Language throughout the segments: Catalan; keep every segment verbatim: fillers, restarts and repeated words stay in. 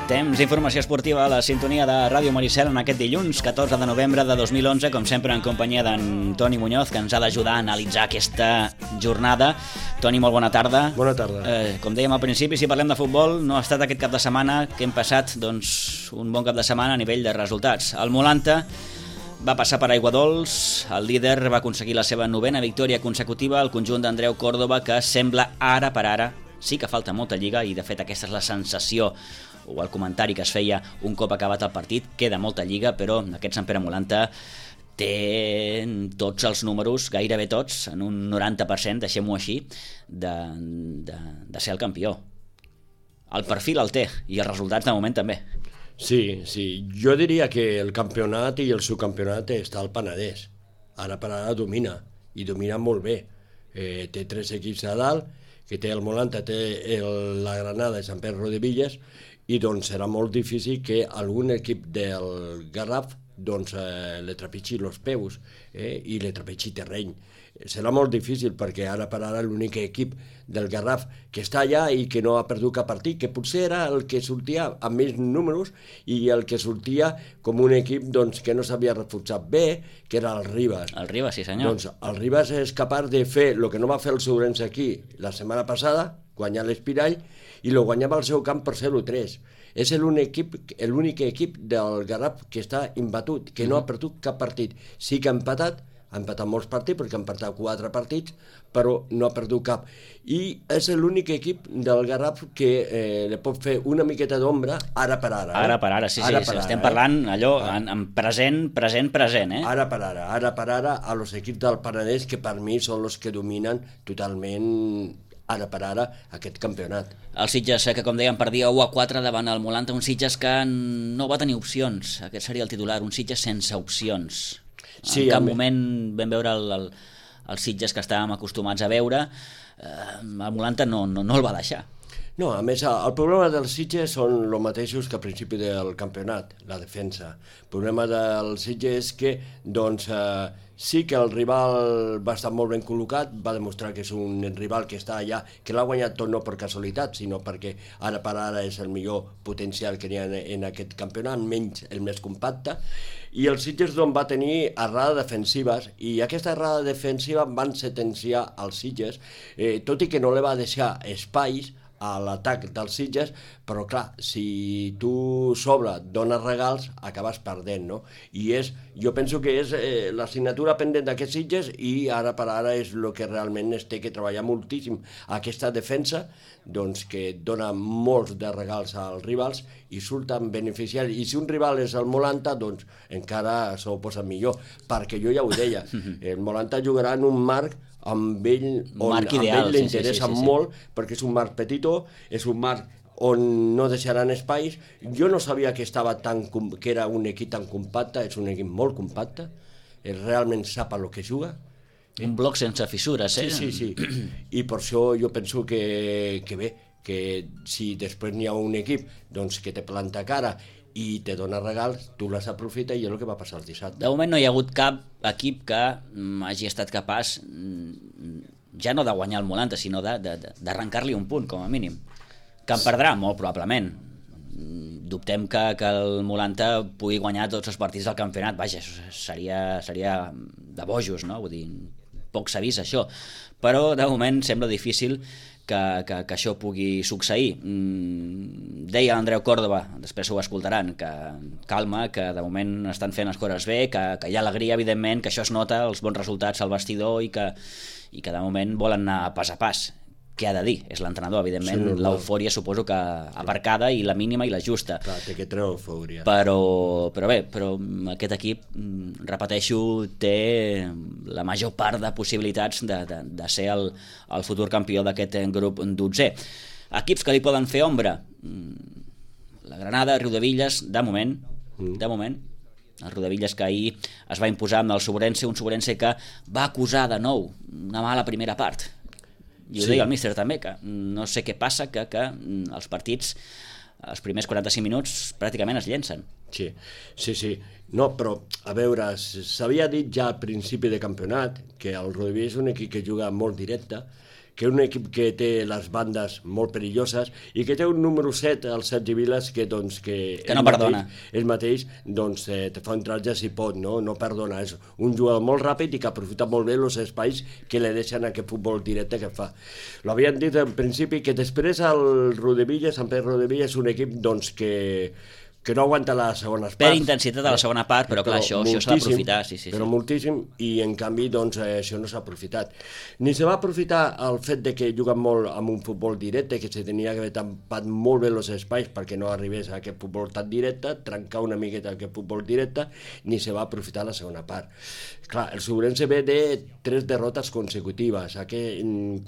Temps d'informació esportiva a la sintonia de Ràdio Maricel en aquest dilluns, catorze de novembre de dos mil onze, com sempre en companyia d'en Toni Muñoz, que ens ha d'ajudar a analitzar aquesta jornada. Toni, molt bona tarda. Bona tarda. Eh, com dèiem al principi, si parlem de futbol, no ha estat aquest cap de setmana que hem passat doncs, un bon cap de setmana a nivell de resultats. El Molanta va passar per Aiguadols, el líder va aconseguir la seva novena victòria consecutiva, el conjunt d'Andreu Córdoba, que sembla ara per ara sí que falta molta lliga, i de fet aquesta és la sensació o el comentari que es feia un cop acabat el partit. Queda molta lliga, però aquest Sant Pere Molanta té tots els números, gairebé tots, en un noranta per cent, deixem-ho així, de, de, de ser el campió. El perfil el té, i els resultats de moment també. Sí, sí, jo diria que el campionat i el subcampionat està al Penedès. Ara per ara domina, i domina molt bé. Eh, té tres equips a dalt, que té el Molanta, té el, la Granada i Sant Pere Rodevillas, i doncs serà molt difícil que algun equip del Garraf doncs, eh, le trepitgi els peus eh, i le trepitgi terreny. Serà molt difícil perquè ara per ara l'únic equip del Garraf que està allà i que no ha perdut cap partit, que potser era el que sortia amb més números i el que sortia com un equip doncs, que no s'havia reforçat bé, que era el Ribas. El Ribas, sí senyor. Doncs el Ribas és capaç de fer el que no va fer el Sourense aquí la setmana passada, guanyar l'Espirall, i lo guanyava al seu camp per zero a tres. És l'únic equip, l'únic equip del Garraf que està imbatut, que no ha perdut cap partit. Sí que ha empatat, ha empatat molts partits, perquè ha empatat quatre partits, però no ha perdut cap. I és l'únic equip del Garraf que eh, li pot fer una miqueta d'ombra ara per ara. Eh? Ara per ara, sí, ara sí, per estem ara, parlant eh? allò en, en present, present, present, eh? Ara per ara, ara per ara, a los equips del Penedès, que per mi són els que dominen totalment ara per ara aquest campionat. El Sitges, que com dèiem perdia u a quatre davant el Molanta, un Sitges que no va tenir opcions, aquest seria el titular, un Sitges sense opcions. Sí, en cap mi... moment vam veure el, el, el Sitges que estàvem acostumats a veure, eh, el Molanta no, no, no el va deixar. No, a més, el problema dels Sitges són els mateixos que al principi del campionat, la defensa. El problema del Sitges és que, doncs, eh, sí que el rival va estar molt ben col·locat, va demostrar que és un rival que està allà, que l'ha guanyat tot no per casualitat, sinó perquè ara per ara és el millor potencial que n'hi ha en aquest campionat, menys el més compacte, i el Sitges doncs, va tenir errades defensives, i aquesta errada defensiva van sentenciar als Sitges, eh, tot i que no li va deixar espais a l'atac dels Sitges, però clar, si tu sobre dones regals, acabes perdent, no? I és, jo penso que és eh, l'assignatura pendent d'aquests Sitges, i ara per ara és el que realment es té que treballar moltíssim aquesta defensa, doncs que dona molts de regals als rivals i surten beneficiaris. I si un rival és el Molanta, doncs encara s'ho posa millor, perquè jo ja ho deia, el Molanta jugarà en un marc amb ell, on marc amb ideal, ell li interessa sí, sí, sí, sí. molt, perquè és un marc petitó, és un marc on no deixaran espais. Jo no sabia que estava tan, que era un equip tan compacte, és un equip molt compacte, realment sap a lo que juga. Un bloc sense fissures, eh? Sí, sí, sí. I per això jo penso que, que bé, que si després n'hi ha un equip doncs, que te planta cara i te dona regals, tu les aprofita, i és el que va passar el dissabte. De moment no hi ha hagut cap equip que hagi estat capaç ja no de guanyar el Molanta, sinó d'arrencar-li un punt, com a mínim. Que en perdrà, molt probablement. Dubtem que, que el Molanta pugui guanyar tots els partits del campionat. Vaja, seria, seria de bojos, no? Vull dir, poc s'ha vist això. Però de moment sembla difícil que, que, que això pugui succeir. Mm, deia l'Andreu Córdoba, després ho escoltaran, que calma, que de moment estan fent les coses bé, que, que hi ha alegria, evidentment, que això es nota, els bons resultats al vestidor, i que, i que de moment volen anar pas a pas. Què ha de dir? És l'entrenador, evidentment, sí, l'eufòria suposo que aparcada, i la mínima i la justa. Clar, té que treure eufòria. Però, però bé, però aquest equip, repeteixo, té la major part de possibilitats de, de, de ser el, el futur campió d'aquest grup dotzè. Equips que li poden fer ombra: la Granada, Riudevilles, de moment, mm. de moment, el Riudevilles, que ahir es va imposar amb el Sourense, un Sourense que va acusar de nou una mala primera part. I ho sí. deia el míster també, que no sé què passa, que, que els partits, els primers quaranta-cinc minuts, pràcticament es llencen. Sí, sí, sí. No, però, a veure, s'havia dit ja al principi de campionat que el Riudevilles és un equip que juga molt directe, que un equip que té les bandes molt perilloses i que té un número set, el Sergi Vilas, que, doncs, que, que no perdona. Ell mateix doncs, eh, te fa un tratge si pot, no? No perdona. És un jugador molt ràpid i que aprofita molt bé els espais que li deixen aquest futbol directe que fa. L'havien dit en principi que després el Rodevilla, Sant Pere Rodevilla, és un equip doncs, que que no aguanta les segones parts. Per intensitat a la segona part, però, però clar, això, això s'ha d'aprofitar. Sí, sí, però sí. moltíssim, i en canvi doncs, eh, això no s'ha aprofitat. Ni se va aprofitar el fet de que juguen molt amb un futbol directe, que se tenia que haver tampat molt bé els espais perquè no arribés a aquest futbol tan directe, trencar una miqueta aquest futbol directe, ni se va aprofitar la segona part. Clar, el Sobrense ve de tres derrotes consecutives. Aquí,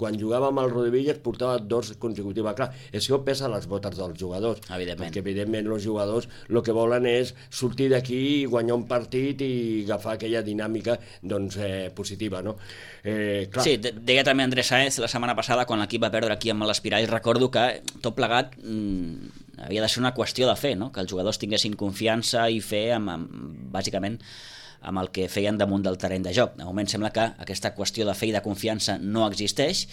quan jugava amb el Rodevillas portava dos consecutives. Clar, això pesa a les botes dels jugadors. Evidentment. Perquè evidentment els jugadors el que volen és sortir d'aquí, guanyar un partit i agafar aquella dinàmica doncs, eh, positiva, no? Eh, clar. Sí, deia també Andrés Sáenz la setmana passada, quan l'equip va perdre aquí amb l'Espirall, recordo que tot plegat mmm, havia de ser una qüestió de fer, no? Que els jugadors tinguessin confiança i fer, amb, amb, bàsicament, amb el que feien damunt del terreny de joc. De moment sembla que aquesta qüestió de fe i de confiança no existeix,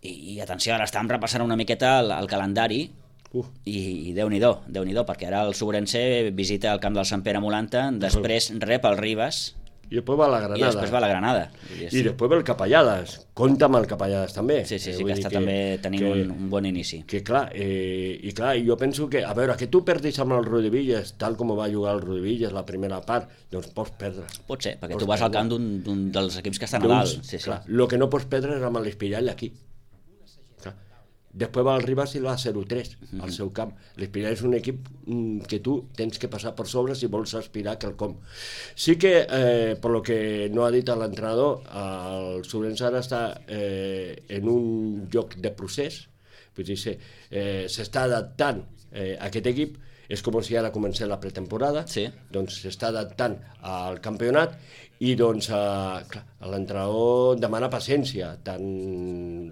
i, i atenció, ara estàvem repassant una miqueta el, el calendari, Uh. i, i Déu-n'hi-do, Déu-n'hi-do, perquè ara el Sobrense visita el camp del Sant Pere Molanta, després rep el Ribas i després va a la Granada. I després va a la Granada. I després va el Capellades. Compta amb el Capellades també. Sí, sí, sí, que està que, també tenint que, un, un bon inici. Que clar, eh, i clar, jo penso que, a veure, que tu perdis amb el Rodevillas, tal com va jugar el Rodevillas la primera part, doncs pots perdre. Pot ser, perquè pots tu vas perdre. al camp d'un dels equips que estan a dalt. Sí, sí. Clar, el que no pots perdre és amb l'Espirall aquí. Després va al Ribas i va a zero tres uh-huh. al seu camp. L'Espirall és un equip mm, que tu tens que passar per sobre si vols aspirar quelcom. Sí que, eh, per lo que no ha dit l'entrenador, el Sobrense ara està eh, en un lloc de procés, vull dir, s'està eh, adaptant eh, a aquest equip. És com si ara comencés la pretemporada, sí. Doncs s'està adaptant al campionat i doncs eh, clar, l'entrenador demana paciència tant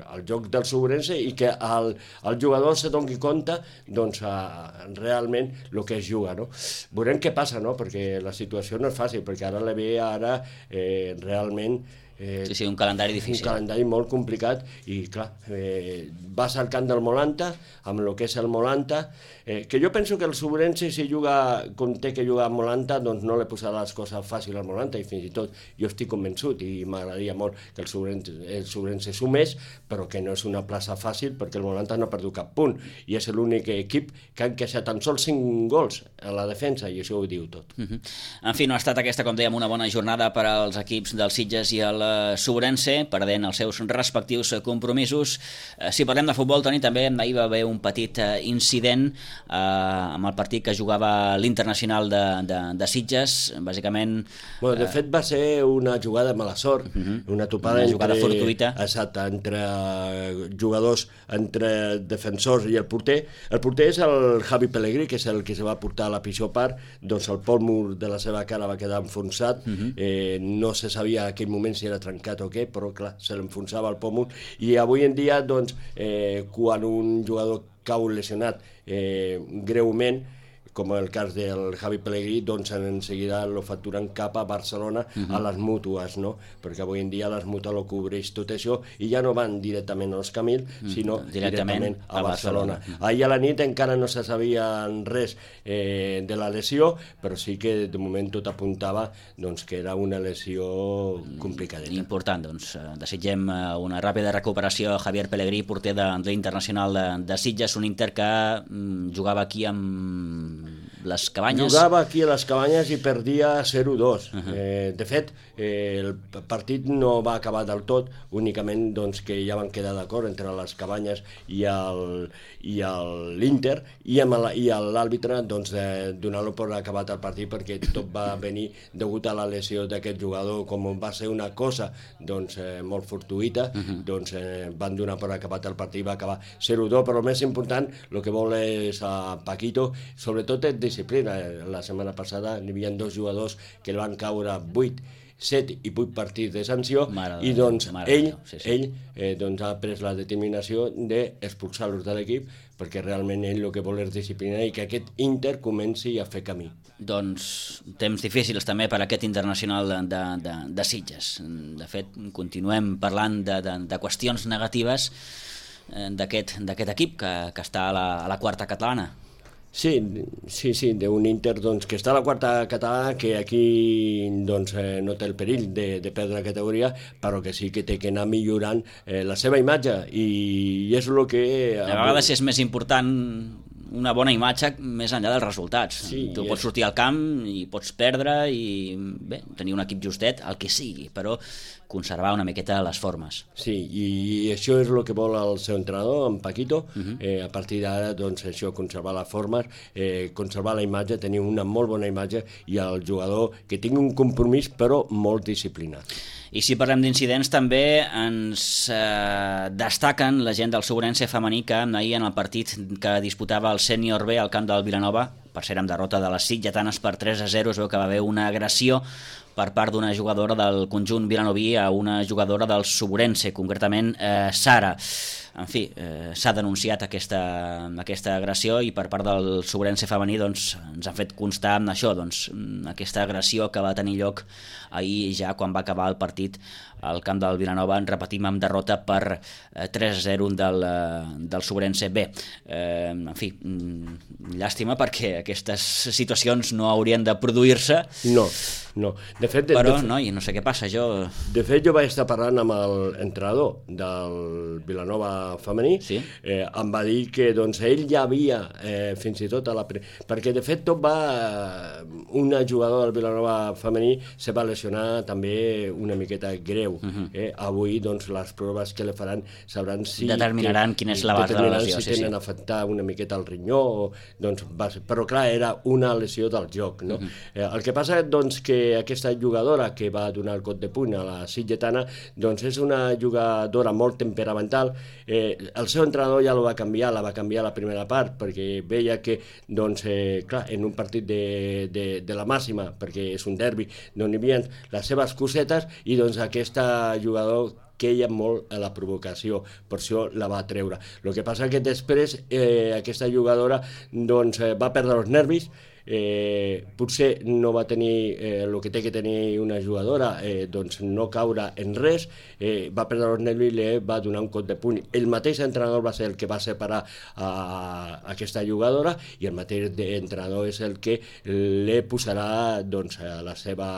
al joc del Sobrense i que el, el jugador se doni compte doncs, eh, realment el que es juga, no? Veurem què passa, no? Perquè la situació no és fàcil, perquè ara la ve ara eh, realment Eh, sí, sí, un calendari difícil. Un calendari molt complicat i, clar, eh, vas al camp del Molanta, amb el que és el Molanta, eh, que jo penso que el Sobrense, si juga com té que jugar al Molanta, doncs no li posarà les coses fàcils al Molanta, i fins i tot jo estic convençut, i m'agradaria molt que el Sobrense, el Sobrense sumés, però que no és una plaça fàcil, perquè el Molanta no ha perdut cap punt, i és l'únic equip que ha encaixat tan sols cinc gols a la defensa, i això ho diu tot. Uh-huh. En fi, no ha estat aquesta, com dèiem, una bona jornada per als equips del Sitges i el Sobrense, perdent els seus respectius compromisos. Si parlem de futbol, Toni, també ahir va haver un petit incident eh, amb el partit que jugava l'Internacional de, de, de Sitges, bàsicament... Bueno, de fet va ser una jugada de mala sort, uh-huh. una topada una entre, jugada fortuïta. Exacte, entre jugadors, entre defensors i el porter. El porter és el Javi Pellegrí, que és el que se va portar a la pitjor part, doncs el pòlmur de la seva cara va quedar enfonsat, uh-huh. eh, no se sabia en aquell moment si era trencat o què, però clar, se l'enfonsava el pòmul, i avui en dia, doncs, eh, quan un jugador cau lesionat eh, greument, com el cas del Javi Pellegrí, doncs en seguida lo facturen cap a Barcelona, uh-huh. a les mútues, no? Perquè avui en dia les mútues lo cobreix tot això i ja no van directament als Camil, uh-huh. sinó directament, directament a, a Barcelona. Barcelona. Uh-huh. Ahir a la nit encara no se sabia res eh, de la lesió, però sí que de moment tot apuntava doncs, que era una lesió complicadeta. Important, doncs desitgem una ràpida recuperació a Javier Pellegrí, porter de, de l'Internacional de, de Sitges, un Inter que mm, jugava aquí amb les Cabanyes. Jugava aquí a les Cabanyes i perdia zero dos. Uh-huh. Eh, de fet, eh, el partit no va acabar del tot, únicament doncs, que ja van quedar d'acord entre les Cabanyes i l'Inter, i, i l'àrbitre doncs, eh, donar-lo per acabat el partit, perquè tot va venir degut a la lesió d'aquest jugador, com va ser una cosa doncs, eh, molt fortuïta, uh-huh. doncs eh, van donar per acabat el partit, va acabar zero dos, però el més important, el que vol és a Paquito, sobretot és disciplina. La setmana passada hi havia dos jugadors que el van caure vuit set i vuit partits de sanció, Mare i de doncs Déu, mare de ell, Déu, sí, sí. ell eh, doncs ha pres la determinació d'expulsar-los de l'equip, perquè realment ell el que vol és disciplinar i que aquest Inter comenci a fer camí. Doncs temps difícils també per a aquest internacional de, de, de, de Sitges. De fet, continuem parlant de, de, de qüestions negatives d'aquest d'aquest equip que, que està a la, a la quarta catalana. Sí, sí, sí, d'un Inter doncs, que està a la quarta catalana, que aquí doncs, eh, no té el perill de, de perdre la categoria, però que sí que té que anar millorant eh, la seva imatge, i, i és el que... A vegades és més important una bona imatge més enllà dels resultats. Sí, tu pots sortir al camp i pots perdre i bé, tenir un equip justet, el que sigui, però conservar una miqueta les formes. Sí, i, i això és el que vol el seu entrenador, en Paquito. Uh-huh. eh, a partir d'ara, doncs, això, conservar les formes, eh, conservar la imatge, tenir una molt bona imatge, i el jugador que tingui un compromís, però molt disciplinat. I si parlem d'incidents, també ens eh, destaquen la gent del Segurense femení, que ahir en el partit que disputava el Sènior B al camp del Vilanova, per ser amb derrota de les sitgetanes per tres a zero, es veu que va haver una agressió per part d'una jugadora del conjunt vilanoví a una jugadora del Segurense, concretament eh, Sara. En fi, eh, s'ha denunciat aquesta, aquesta agressió, i per part del Segurense femení doncs, ens han fet constar amb això, doncs, aquesta agressió que va tenir lloc ahir, ja quan va acabar el partit al camp del Vilanova, en repetim, amb derrota per eh, tres a zero del, del Segurense B. Eh, en fi, llàstima, perquè aquestes situacions no haurien de produir-se. No, no. De fet, de, però, de, noi, no sé què passa, jo... De fet, jo vaig estar parlant amb l'entrenador del Vilanova femení, sí? eh, em va dir que doncs, ell ja havia, eh, fins i tot a la... Pre... perquè de fet tot va... Una jugadora del Vilanova femení se va lesionar també una miqueta greu. Uh-huh. eh? Avui doncs, les proves que le faran sabran si... Determinaran que, quina és l'abast de la lesió. Si tenen sí, sí. afectar una miqueta el rinyó, o, doncs, va ser... però clar, era una lesió del joc. No? Uh-huh. eh, el que passa doncs, que aquesta jugadora que va donar el cop de puny a la sitgetana doncs és una jugadora molt temperamental. Eh, el seu entrenador ja la va canviar, la va canviar a la primera part, perquè veia que doncs, eh, clar, en un partit de, de, de la màxima, perquè és un derbi, doncs hi havia les seves cosetes, i doncs aquesta jugador queia molt a la provocació, per això la va treure. El que passa que després eh, aquesta jugadora doncs, eh, va perdre els nervis, eh, potser no va tenir eh, el que té que tenir una jugadora, eh, doncs no caure en res, eh, va perdre els nervis i li va donar un cop de puny. El mateix entrenador va ser el que va separar a, a aquesta jugadora, i el mateix entrenador és el que li posarà doncs, a la seva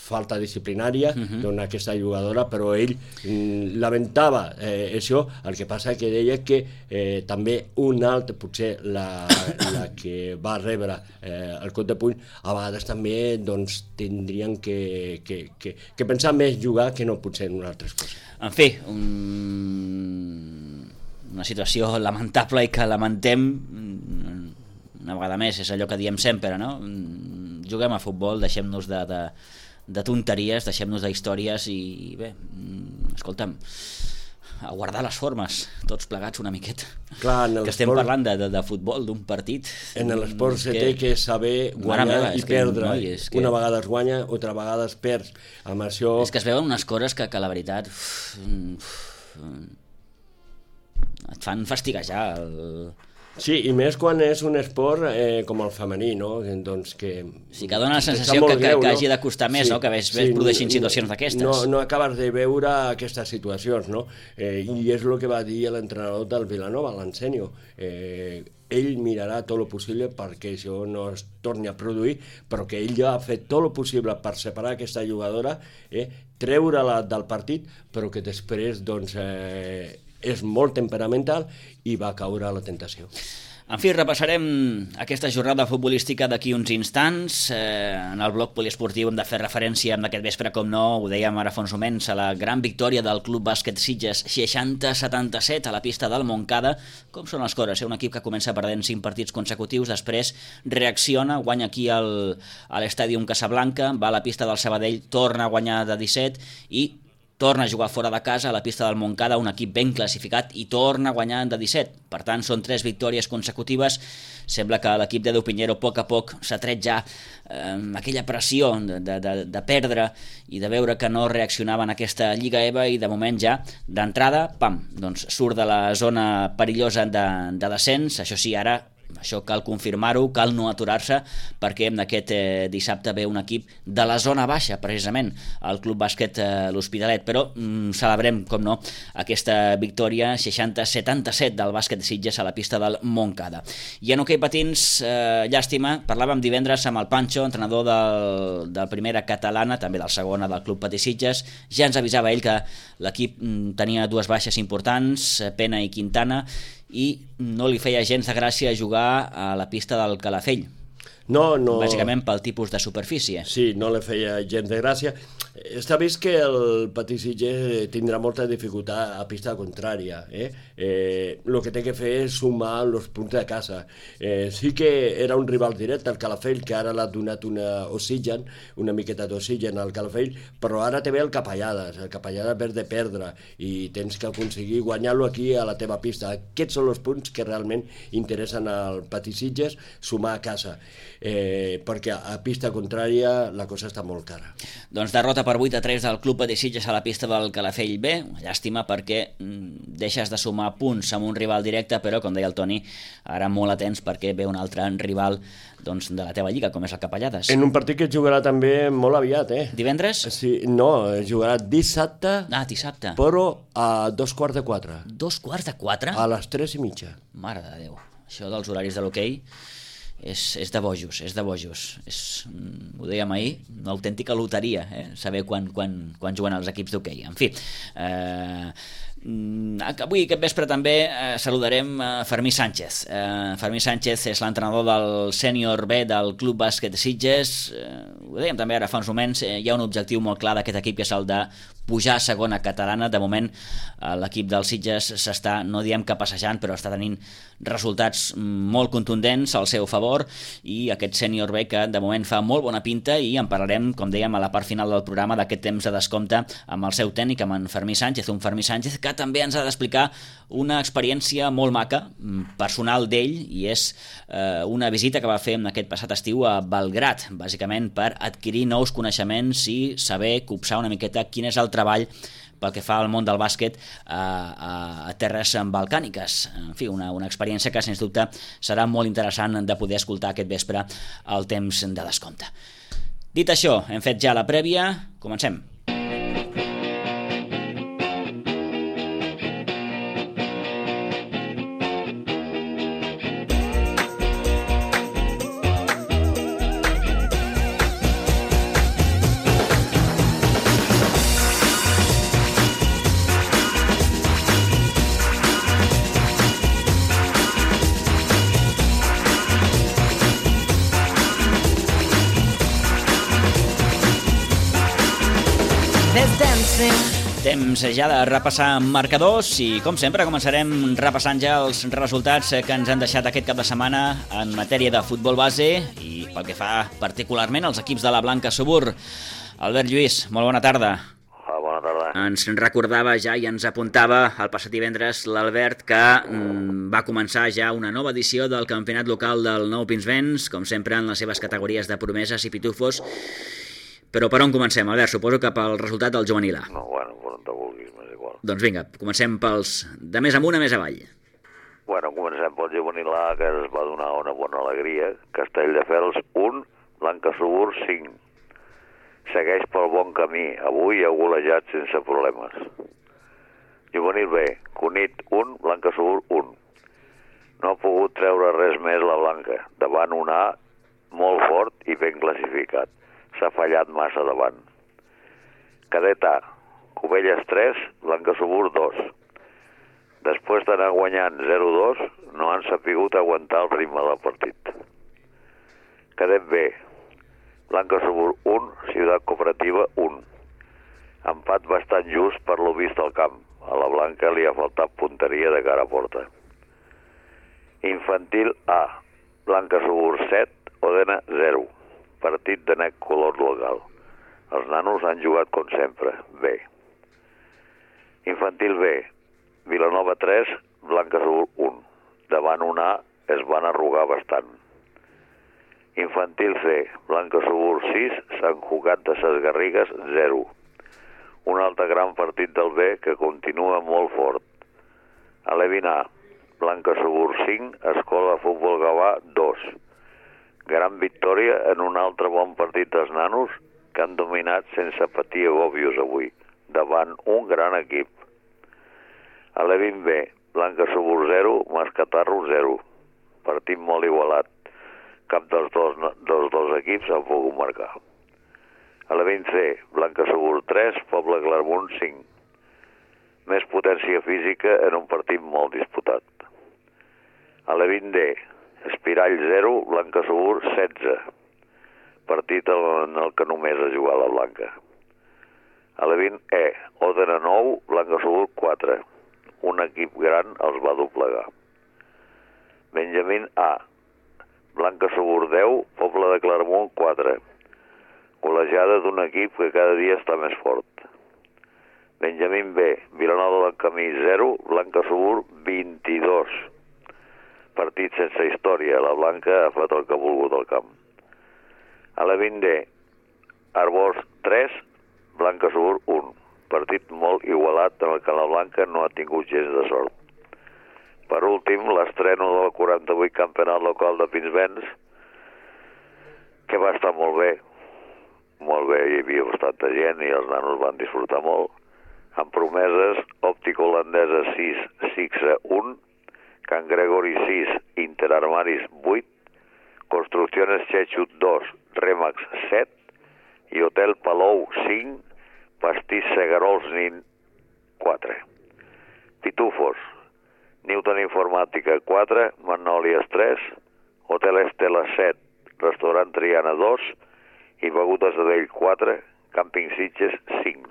falta disciplinària uh-huh. doncs, aquesta jugadora, però ell mm, lamentava eh, això. El que passa que deia que eh, també un altre, potser la, la que va rebre eh, el cop de puny, a vegades també doncs, tindrien que, que, que, que pensar més jugar que no potser en altres coses. En fi, un... una situació lamentable i que lamentem una vegada més, és allò que diem sempre, no? Juguem a futbol, deixem-nos de, de de tonteries, deixem-nos d'històries i bé, escolta'm, a guardar les formes, tots plegats una miqueta. Clar, que estem parlant de, de, de futbol, d'un partit. En l'esport se té que saber guanyar meva, i perdre. Que, no, que... Una vegada es guanya, altra vegada es perd. Amb això... És que es veuen unes coses que, que la veritat uf, uf, et fan fastiguejar el... Sí, i més quan és un esport eh, com el femení, no? Doncs que... Sí, que dona la sensació que, greu, que, que hagi de costar més, sí, no? Que ves, ves sí, produeixin situacions d'aquestes. No, no acabes de veure aquestes situacions, no? Eh, I és el que va dir l'entrenador del Vilanova, l'Ensenio. Eh, ell mirarà tot el possible perquè això no es torni a produir, però que ell ja ha fet tot el possible per separar aquesta jugadora, eh, treure-la del partit, però que després, doncs... Eh, és molt temperamental i va caure a la tentació. En fi, repassarem aquesta jornada futbolística d'aquí uns instants. Eh, en el bloc poliesportiu hem de fer referència d'aquest vespre, com no, ho dèiem ara fa uns moments, a la gran victòria del Club Bàsquet Sitges, seixanta a setanta-set a la pista del Montcada. Com són les coses? Eh? Un equip que comença perdent cinc partits consecutius, després reacciona, guanya aquí al, a l'Estàdium Casablanca, va a la pista del Sabadell, torna a guanyar de disset i torna a jugar fora de casa a la pista del Montcada, un equip ben classificat, i torna a guanyar de disset. Per tant, són tres victòries consecutives. Sembla que l'equip d'Edu Pinheiro a poc a poc s'ha tret ja eh, aquella pressió de, de, de perdre i de veure que no reaccionava en aquesta Lliga E V A, i de moment ja, d'entrada, pam, doncs surt de la zona perillosa de, de descens. Això sí, ara això cal confirmar-ho, cal no aturar-se, perquè aquest eh, dissabte ve un equip de la zona baixa, precisament, el Club Bàsquet eh, l'Hospitalet, però mm, celebrem, com no, aquesta victòria seixanta a setanta-set del bàsquet de Sitges a la pista del Montcada. I en hoquei patins, eh, llàstima, parlàvem divendres amb el Pancho, entrenador del, del primera catalana, també del segona del Club Patí Sitges. Ja ens avisava ell que l'equip mm, tenia dues baixes importants, Pena i Quintana, i no li feia gens de gràcia jugar a la pista del Calafell. No, no... Bàsicament pel tipus de superfície. Sí, no li feia gens de gràcia. Està vist que el Patí Sitges tindrà molta dificultat a pista contrària. Eh? Eh, el que té que fer és sumar els punts de casa. Eh, sí que era un rival directe, el Calafell, que ara l'ha donat una oxigen, una miqueta d'oxigen al Calafell, però ara té ve el Capellades. El Capellades ve de perdre i tens que aconseguir guanyar-lo aquí a la teva pista. Aquests són els punts que realment interessen al Patí Sitges, sumar a casa. Eh, perquè a pista contrària la cosa està molt cara. Doncs derrota per vuit a tres del Club Patí Sitges a la pista del Calafell B. Una llàstima perquè mm, deixes de sumar punts amb un rival directe, però, com deia el Toni, ara molt atents perquè ve un altre rival doncs, de la teva lliga, com és el Capellades. En un partit que jugarà també molt aviat, eh? Divendres? Sí, no, jugarà dissabte, Ah, dissabte. però a dos quarts de quatre. Dos quarts de quatre? A les tres i mitja. Mare de Déu. Això dels horaris de l'hoquei és, és de bojos, és de bojos. És, mm, ho dèiem ahir, una autèntica loteria, eh? Saber quan, quan, quan juguen els equips d'hoquei. En fi, eh, avui, aquest vespre, també eh, saludarem eh, Fermí Sánchez. Eh, Fermí Sánchez és l'entrenador del sènior B del Club Bàsquet de Sitges. Eh, ho dèiem també ara fa uns moments, eh, hi ha un objectiu molt clar d'aquest equip, que és el de pujar a segona catalana. De moment eh, l'equip del Sitges s'està, no diem que passejant, però està tenint resultats molt contundents al seu favor, i aquest sènior B que de moment fa molt bona pinta, i en parlarem, com dèiem, a la part final del programa, d'aquest temps de descompte amb el seu tècnic, amb en Fermí Sánchez, un Fermí Sánchez que també ens ha d'explicar una experiència molt maca, personal d'ell, i és eh, una visita que va fer en aquest passat estiu a Belgrat, bàsicament per adquirir nous coneixements i saber copsar una miqueta quin és el treball pel que fa al món del bàsquet a, a, a terres balcàniques. En fi, una, una experiència que, sens dubte, serà molt interessant de poder escoltar aquest vespre al temps de descompte. Dit això, hem fet ja la prèvia, comencem. Temps ja de repassar marcadors i, com sempre, començarem repassant ja els resultats que ens han deixat aquest cap de setmana en matèria de futbol base i pel que fa particularment als equips de la Blanca Subur. Albert Lluís, molt bona tarda. Hola, bona tarda. Ens recordava ja i ens apuntava el passat divendres l'Albert que mm, va començar ja una nova edició del campionat local del Nou Pinsbens, com sempre en les seves categories de promeses i pitufos. Però per on comencem, Albert? Suposo que pel resultat del juvenil A. No, bueno, per on te vulguis, m'és igual. Doncs vinga, comencem pels de més amunt a més avall. Bueno, comencem pel juvenil A, que es va donar una bona alegria. Castelldefels un, Blanca Subur cinc. Segueix pel bon camí, avui ha golejat sense problemes. Juvenil B, Cunit un, Blanca Subur un. No ha pogut treure res més la Blanca, davant un A molt fort i ben classificat. S'ha fallat massa davant. Cadet A, Cubelles tres, Blanca Subur dos. Després d'anar guanyant zero dos, no han sapigut aguantar el ritme del partit. Cadet B, Blanca Subur un, Ciutat Cooperativa un. Empat bastant just per lo vist al camp. A la Blanca li ha faltat punteria de cara a porta. Infantil A, Blanca Subur set, Odena zero. Partit de net color local. Els nanos han jugat com sempre, bé. Infantil B, Vilanova tres, Blanca Subur un. Davant un A es van arrugar bastant. Infantil C, Blanca Subur sis, Sant Cugat de ses Garrigues zero. Un altre gran partit del B que continua molt fort. Alevin A, Blanca Subur cinc, Escola Futbol Gavà dos. Gran victòria en un altre bon partit dels nanos que han dominat sense patir agòbios avui, davant un gran equip. Alevin B, Blanca Subur zero, Mascatarro zero. Partit molt igualat. Cap dels dos, dels dos equips han pogut marcar. Alevin C, Blanca Subur tres, Poble Clermont cinc. Més potència física en un partit molt disputat. Alevin D, Espirall zero, Blanca Subur setze. Partit en el que només ha jugat la Blanca. Alevin E, Òdena nou, Blanca Subur quatre. Un equip gran els va doblegar. Benjamín A, Blanca Subur deu, Poble de Clermont quatre. Golejada d'un equip que cada dia està més fort. Benjamín B, Vilanova del Camí zero, Blanca Subur vint-i-dos. Partit sense història, la Blanca ha fet el que ha volgut al camp. Alevin D, Arbós tres, Blanca Subur un. Partit molt igualat en el que la Blanca no ha tingut gens de sort. Per últim, l'estreno del quaranta-vuit campionat local de Pinsbens, que va estar molt bé. Molt bé, hi havia bastanta gent i els nanos van disfrutar molt. Amb promeses, Òptica Holandesa sis, Sixa un, Can Gregori sis, Interarmaris vuit, Construcciones Chechut dos, Remax set i Hotel Palou cinc, Pastís Segarols Nin quatre. Pitufos, Newton Informàtica quatre, Magnòlies tres, Hotel Estela set, Restaurant Triana dos i Begudes de Dell quatre, Càmping Sitges cinc.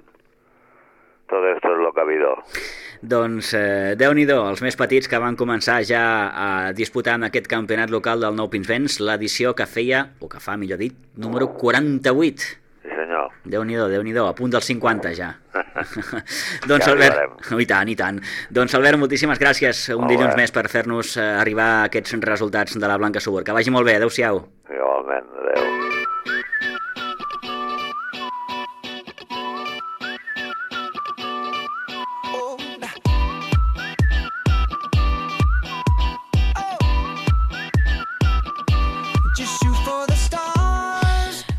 Tot esto es lo que ha habido. Doncs eh, Déu-n'hi-do, els més petits que van començar ja a disputar en aquest campionat local del Nou Pinsbens, l'edició que feia, o que fa, millor dit, número quaranta-vuit. Sí, senyor. Déu-n'hi-do, Déu-n'hi-do, a punt dels cinquanta ja. Doncs ja Albert, arribarem. i tant, i tant. Doncs Albert, moltíssimes gràcies un Molt dilluns bé. més per fer-nos eh, arribar a aquests resultats de la Blanca Subur. Que vagi molt bé, adeu-siau. Igualment, adeu.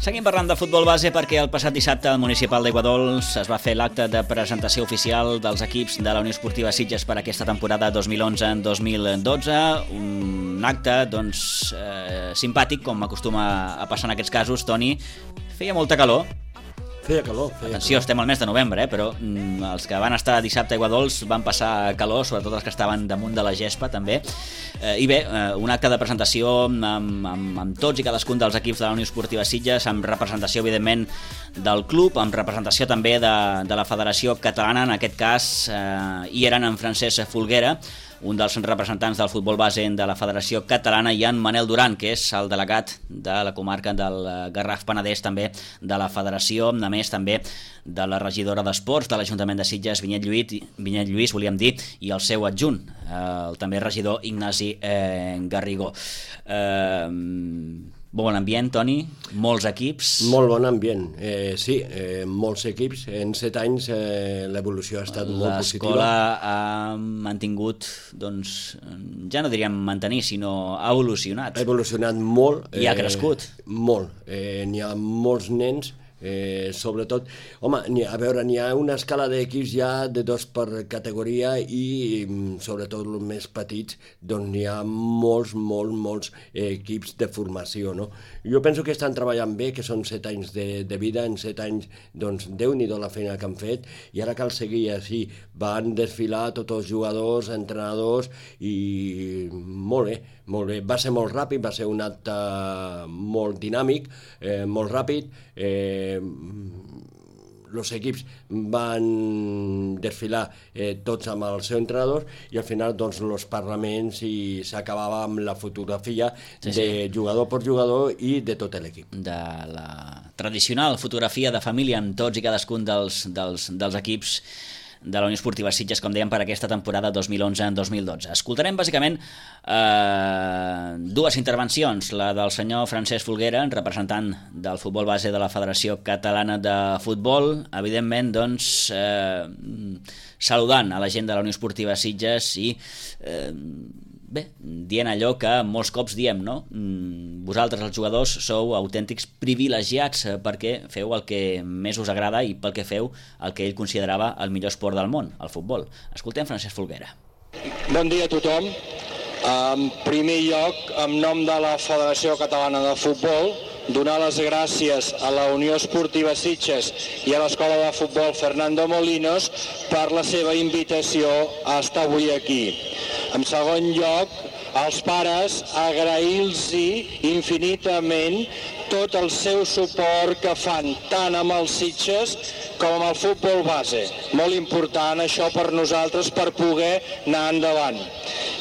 Seguim parlant de futbol base perquè el passat dissabte al Municipal d'Aiguadols es va fer l'acte de presentació oficial dels equips de la Unió Esportiva Sitges per aquesta temporada dos mil onze dos mil dotze. Un acte doncs, eh, simpàtic, com acostuma a passar en aquests casos, Toni. Feia molta calor. Feia calor. Feia Atenció, calor. estem al mes de novembre, eh? Però mm, els que van estar dissabte a Aiguadols van passar calor, sobretot els que estaven damunt de la gespa, també. Eh, I bé, eh, un acte de presentació amb, amb, amb tots i cadascun dels equips de la Unió Esportiva Sitges, amb representació, evidentment, del club, amb representació també de, de la Federació Catalana, en aquest cas, eh, hi eren en Francesc Folguera, un dels representants del futbol base de la Federació Catalana, i en Manel Duran, que és el delegat de la comarca del Garraf Penedès, també de la Federació, a més també de la regidora d'Esports de l'Ajuntament de Sitges, Vinyet Lluís, Vinyet Lluís, volíem dir, i el seu adjunt, el també regidor Ignasi eh, Garrigó. Eh, Bon ambient, Toni, molts equips. Molt bon ambient, eh, sí, eh, molts equips. En set anys eh, l'evolució ha estat molt positiva. L'escola ha mantingut, doncs, ja no diríem mantenir, sinó ha evolucionat. Ha evolucionat molt. I ha crescut. Eh, molt. Eh, n'hi ha molts nens, eh, sobretot... Home, a veure, n'hi ha una escala d'equips ja de dos per categoria i, sobretot, els més petits, doncs n'hi ha molts, molts, molts equips de formació, no? Jo penso que estan treballant bé, que són set anys de, de vida, en set anys, doncs, Déu-n'hi-do la feina que han fet, i ara cal seguir així. Van desfilar tots els jugadors, entrenadors, i molt bé, molt bé. Va ser molt ràpid, va ser un acte molt dinàmic, eh, molt ràpid, eh, els equips van desfilar eh, tots amb els seus entrenadors i al final doncs els parlaments i s'acabava amb la fotografia sí, sí. de jugador per jugador i de tot l'equip. De la tradicional fotografia de família amb tots i cadascun dels, dels, dels equips de la Unió Esportiva Sitges, com dèiem, per aquesta temporada dos mil onze dos mil dotze. Escoltarem bàsicament eh, dues intervencions, la del senyor Francesc Folguera, representant del futbol base de la Federació Catalana de Futbol, evidentment, doncs, eh, saludant a la gent de la Unió Esportiva Sitges i eh, bé, dient allò que molts cops diem, no? Vosaltres, els jugadors, sou autèntics privilegiats perquè feu el que més us agrada i pel que feu el que ell considerava el millor esport del món, el futbol. Escoltem Francesc Folguera. Bon dia a tothom. En primer lloc, en nom de la Federació Catalana de Futbol, donar les gràcies a la Unió Esportiva Sitges i a l'Escola de Futbol Fernando Molinos per la seva invitació a estar avui aquí. En segon lloc, als pares agrair-los infinitament tot el seu suport que fan tant amb els Sitges com amb el futbol base. Molt important això per nosaltres per poder anar endavant.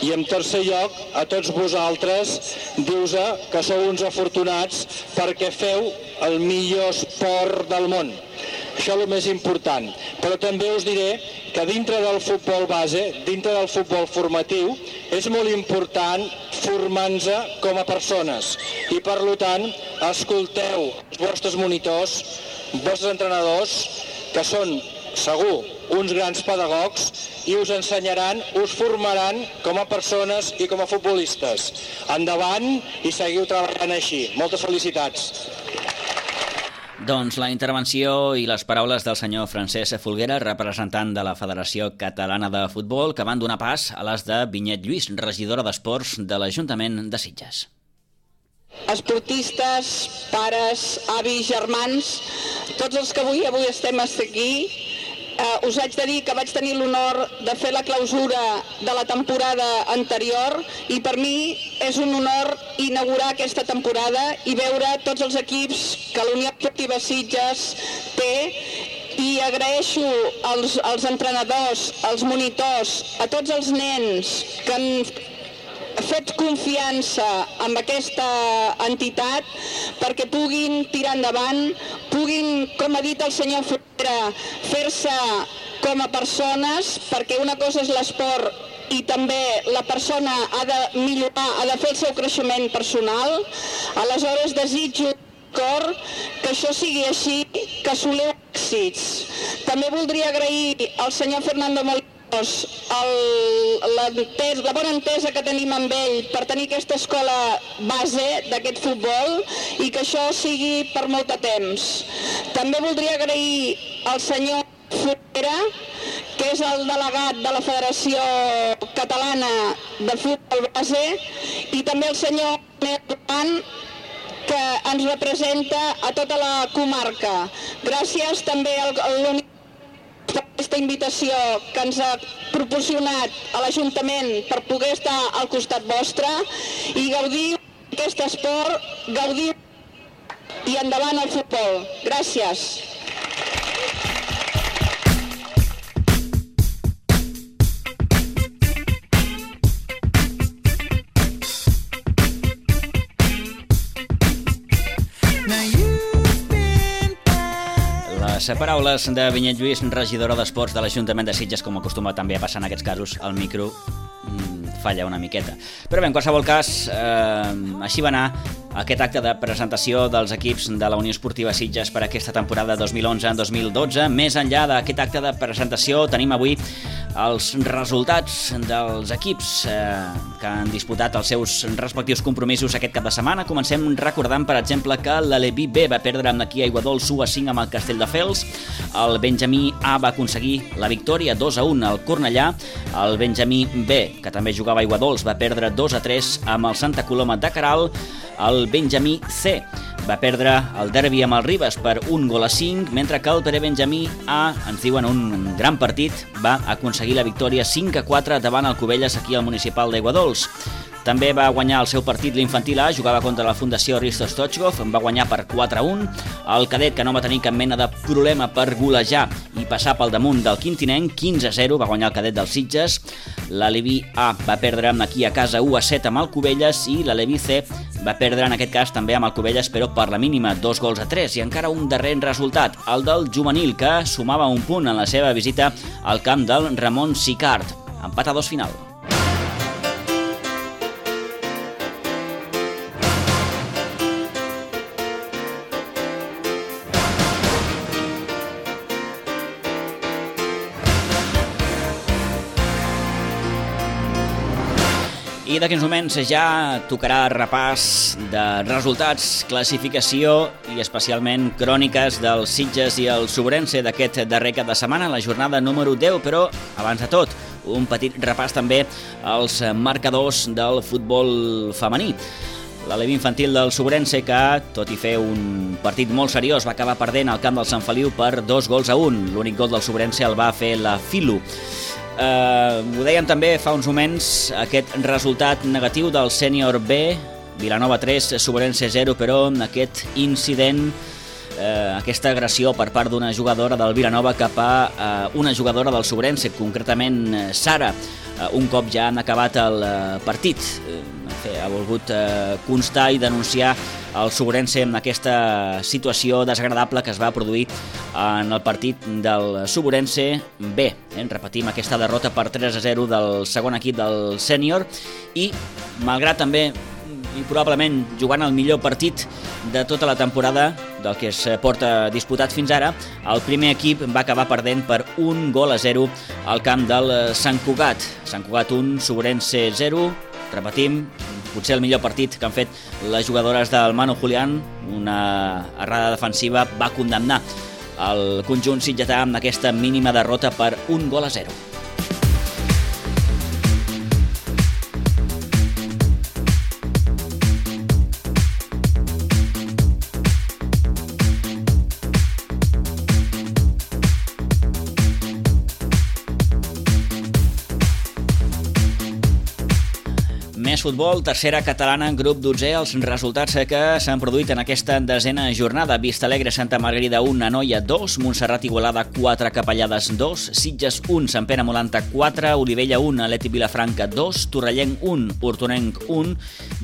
I en tercer lloc, a tots vosaltres, dius que sou uns afortunats perquè feu el millor esport del món. Això és el més important. Però també us diré que dintre del futbol base, dintre del futbol formatiu, és molt important formar-nos com a persones. I per tant, escolteu els vostres monitors, els vostres entrenadors, que són, segur, uns grans pedagogs i us ensenyaran, us formaran com a persones i com a futbolistes. Endavant i seguiu treballant així. Moltes felicitats. Doncs la intervenció i les paraules del senyor Francesc Folguera, representant de la Federació Catalana de Futbol, que van donar pas a les de Vinyet Lluís, regidora d'Esports de l'Ajuntament de Sitges. Esportistes, pares, avis, germans, tots els que avui avui estem aquí, eh, us haig de dir que vaig tenir l'honor de fer la clausura de la temporada anterior i per mi és un honor inaugurar aquesta temporada i veure tots els equips que la Unió Esportiva Sitges té i agraeixo als, als entrenadors, als monitors, a tots els nens que han fet confiança amb aquesta entitat perquè puguin tirar endavant, puguin, com ha dit el senyor Folguera, fer-se com a persones, perquè una cosa és l'esport i també la persona ha de millorar, ha de fer el seu creixement personal. Aleshores desitjo cor que això sigui així, que assoliu èxits. També voldria agrair al senyor Fernando Molinos El, la, la bona entesa que tenim amb ell per tenir aquesta escola base d'aquest futbol i que això sigui per molt de temps. També voldria agrair al senyor Folguera, que és el delegat de la Federació Catalana de Futbol Base, i també el senyor Duran, que ens representa a tota la comarca. Gràcies també a l'Unió per aquesta invitació que ens ha proporcionat a l'Ajuntament per poder estar al costat vostre i gaudir d'aquest esport, gaudir i endavant el futbol. Gràcies. Les paraules de Vinyet Lluís, regidora d'Esports de l'Ajuntament de Sitges, com acostuma també a passar en aquests casos, el micro mm, falla una miqueta. Però bé, en qualsevol cas, eh, així va anar aquest acte de presentació dels equips de la Unió Esportiva Sitges per aquesta temporada dos mil onze dos mil dotze. Més enllà d'aquest acte de presentació, tenim avui els resultats dels equips eh, que han disputat els seus respectius compromisos aquest cap de setmana. Comencem recordant, per exemple, que l'Aleví B va perdre amb aquí a Aiguadols u a cinc amb el Castelldefels, el Benjamí A va aconseguir la victòria dos a un al Cornellà, el Benjamí B, que també jugava a Aiguadols, va perdre dos a tres amb el Santa Coloma de Caral, el Benjamí C va perdre el derbi amb el Ribes per un gol a cinc, mentre que el Benjamí A, ens diuen un gran partit, va aconseguir la victòria cinc a quatre davant el Cubelles aquí al municipal d'Aiguadols. També va guanyar el seu partit l'infantil A, jugava contra la Fundació Risto Stoichkov, va guanyar per quatre a un. El cadet, que no va tenir cap mena de problema per golejar i passar pel damunt del quintinenc, quinze a zero, va guanyar el cadet dels Sitges. L'Aleví A va perdre aquí a casa u a set amb el Cubelles i l'Aleví C va perdre en aquest cas també amb el Cubelles, però per la mínima, dos gols a tres. I encara un darrer resultat, el del juvenil, que sumava un punt en la seva visita al camp del Ramon Sicart. Empat a dos final. I d'aquí uns moments ja tocarà repàs de resultats, classificació i especialment cròniques dels Sitges i el Sobrense d'aquest darrer cap de setmana, la jornada número deu, però abans de tot, un petit repàs també als marcadors del futbol femení. L'Alevi infantil del Sobrense, que, tot i fer un partit molt seriós, va acabar perdent al camp del Sant Feliu per dos gols a un. L'únic gol del Sobrense el va fer la Filo. Uh, ho dèiem també fa uns moments, aquest resultat negatiu del sènior B, Vilanova tres, Sobrense zero, però aquest incident, uh, aquesta agressió per part d'una jugadora del Vilanova cap a uh, una jugadora del Sobrense, concretament Sara, uh, un cop ja han acabat el uh, partit. Uh, ha volgut uh, constar i denunciar el Sobrense en aquesta situació desagradable que es va produir en el partit del Sobrense B. Eh? Repetim aquesta derrota per tres a zero del segon equip del sènior i, malgrat també i probablement jugant el millor partit de tota la temporada del que es porta disputat fins ara, el primer equip va acabar perdent per un gol a zero al camp del Sant Cugat. Sant Cugat un, Sobrense zero. Repetim, potser el millor partit que han fet les jugadores del Manu Julián. Una errada defensiva va condemnar el conjunt sitgetà amb aquesta mínima derrota per un gol a zero. Més futbol, tercera catalana, grup dotzè, els resultats que s'han produït en aquesta desena jornada. Vistalegre, Santa Margarida un, Anoia dos, Montserrat Igualada quatre, Capellades dos, Sitges un, Sant Pere Molanta quatre, Olivella un, Atleti Vilafranca dos, Torrellenc un, Hortonenc un,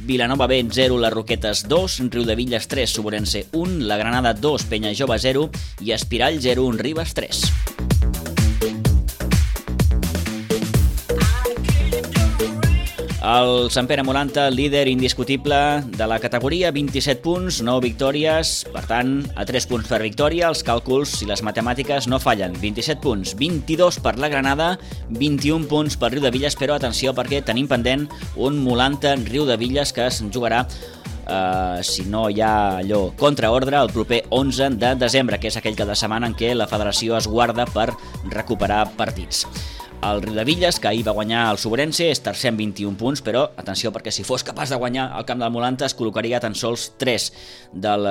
Vilanova B zero, Les Roquetes dos, Riudevilles tres, Sobrense un, La Granada dos, Penya Jove zero i Espirall zero un, Ribes tres. El Sant Pere Molanta, líder indiscutible de la categoria, vint-i-set punts, nou victòries, per tant, a tres punts per victòria, els càlculs i les matemàtiques no fallen. vint-i-set punts, vint-i-dos per la Granada, vint-i-un punts per Riudevilles, però atenció perquè tenim pendent un Molanta-Riudevilles que es jugarà, eh, si no hi ha allò contraordre, el proper onze de desembre, que és aquell cap de setmana en què la federació es guarda per recuperar partits. El Riudevilles, que ahir va guanyar el Sobrense, és tercer amb vint-i-un punts, però atenció perquè si fos capaç de guanyar el camp del Molanta es col·locaria tan sols tres del,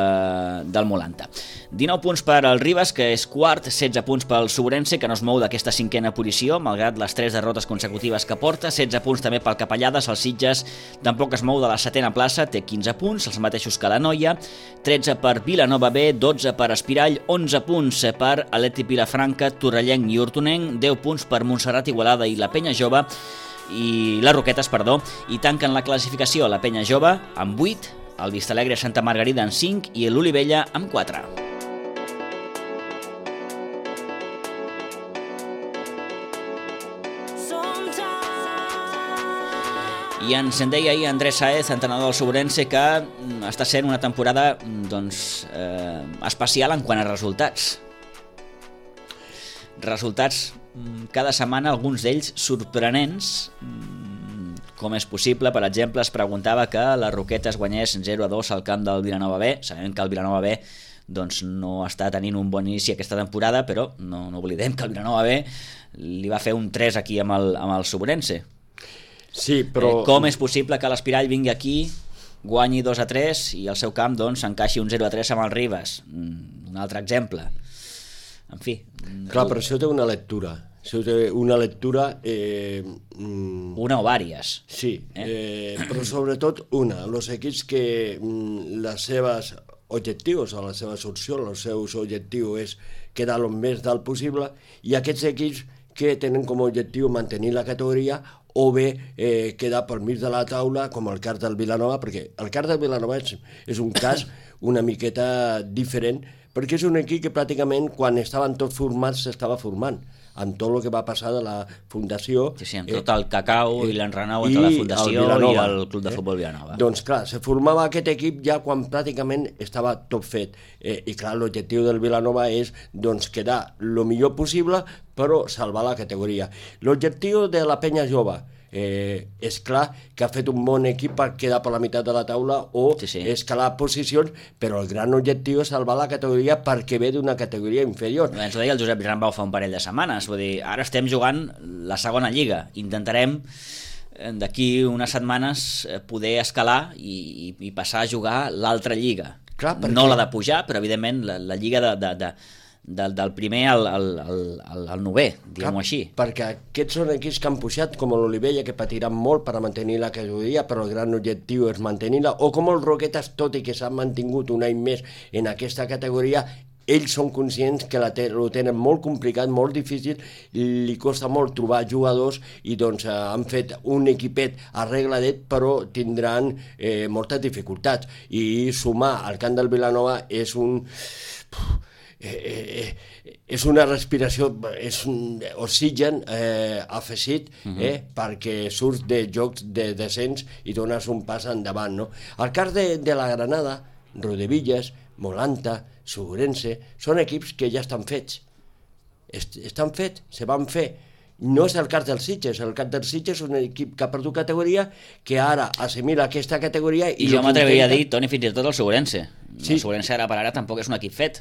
del Molanta. dinou punts per al Ribes, que és quart, setze punts pel Sobrense, que no es mou d'aquesta cinquena posició, malgrat les tres derrotes consecutives que porta, setze punts també pel Capellades, el Sitges tampoc es mou de la setena plaça, té quinze punts, els mateixos que la Noia, tretze per Vilanova B, dotze per Espirall, onze punts per Atleti Vilafranca, Torrellenc i Hortonenc, deu punts per Montserrat Igualada i la Penya Jove i les Roquetes, perdó, i tanquen la classificació la Penya Jove amb vuit, el Vistalegre Santa Margarida amb cinc i l'Olivella amb quatre. I ens en deia ahir Andrés Sáez, entrenador del Sobrense, que està sent una temporada doncs, eh, especial en quant a resultats. Resultats cada setmana, alguns d'ells sorprenents. Com és possible? Per exemple, es preguntava que la Roquetes guanyés zero a dos al camp del Vilanova B. Sabem que el Vilanova B doncs, no està tenint un bon inici aquesta temporada, però no, no oblidem que el Vilanova B li va fer un tres aquí amb el, amb el Sobrense. Sí, però... Eh, com és possible que l'Espirall vingui aquí, guanyi dos a tres i al seu camp doncs, encaixi un zero a tres amb el Ribes? Un altre exemple. En fi... Clar, però això té una lectura. Això té una lectura... Eh, una o vàries. Sí, eh? Eh, però sobretot una. Els equips que mm, les seves objectius, o les seves opcions, els seus objectius és quedar el més dalt possible, i aquests equips que tenen com a objectiu mantenir la categoria o bé eh, quedar pel mig de la taula com el cas del Vilanova, perquè el cas del Vilanova és, és un cas una miqueta diferent, perquè és un equip que pràcticament quan estaven tots formats s'estava formant, amb tot el que va passar de la fundació. Sí, sí, amb tot el cacau eh, i l'enrenou entre la fundació el i el Club de Futbol Vilanova. Eh? Doncs clar, se formava aquest equip ja quan pràcticament estava tot fet. Eh, I clar, l'objectiu del Vilanova és doncs, quedar el millor possible, però salvar la categoria. L'objectiu de la penya jove, Eh, és clar que ha fet un bon equip per quedar per la meitat de la taula o sí, sí. escalar posicions, però el gran objectiu és salvar la categoria perquè ve d'una categoria inferior. Ens ho deia el Josep Rambau fa un parell de setmanes, vull dir, ara estem jugant la segona lliga, intentarem d'aquí unes setmanes poder escalar i, i, i passar a jugar l'altra lliga. Clar, perquè... No la de pujar, però evidentment la, la lliga de... de, de Del, del primer al, al, al, al novè, diguem-ho així. Perquè aquests són equips que han pujat, com l'Olivella, que patiran molt per a mantenir la categoria, però el gran objectiu és mantenir-la, o com el Roquetes, tot i que s'han mantingut un any més en aquesta categoria, ells són conscients que la te ho tenen molt complicat, molt difícil, li costa molt trobar jugadors i doncs eh, han fet un equipet arregladet, però tindran eh, moltes dificultats. I sumar al camp del Vilanova és un... Eh, eh, és una respiració, és un oxigen eh, afegit eh, uh-huh. perquè surts de jocs de descens i dones un pas endavant, no? El cas de, de la Granada, Rodevillas, Molanta, Segurense, són equips que ja estan fets. Est estan fets, se van fer. No és el cas dels Sitges, el cas dels Sitges és un equip que ha perdut categoria, que ara assimila aquesta categoria... I, I jo m'atreviria a dir, Toni, fins i tot el Segurense. Sí. El Segurense ara per ara tampoc és un equip fet.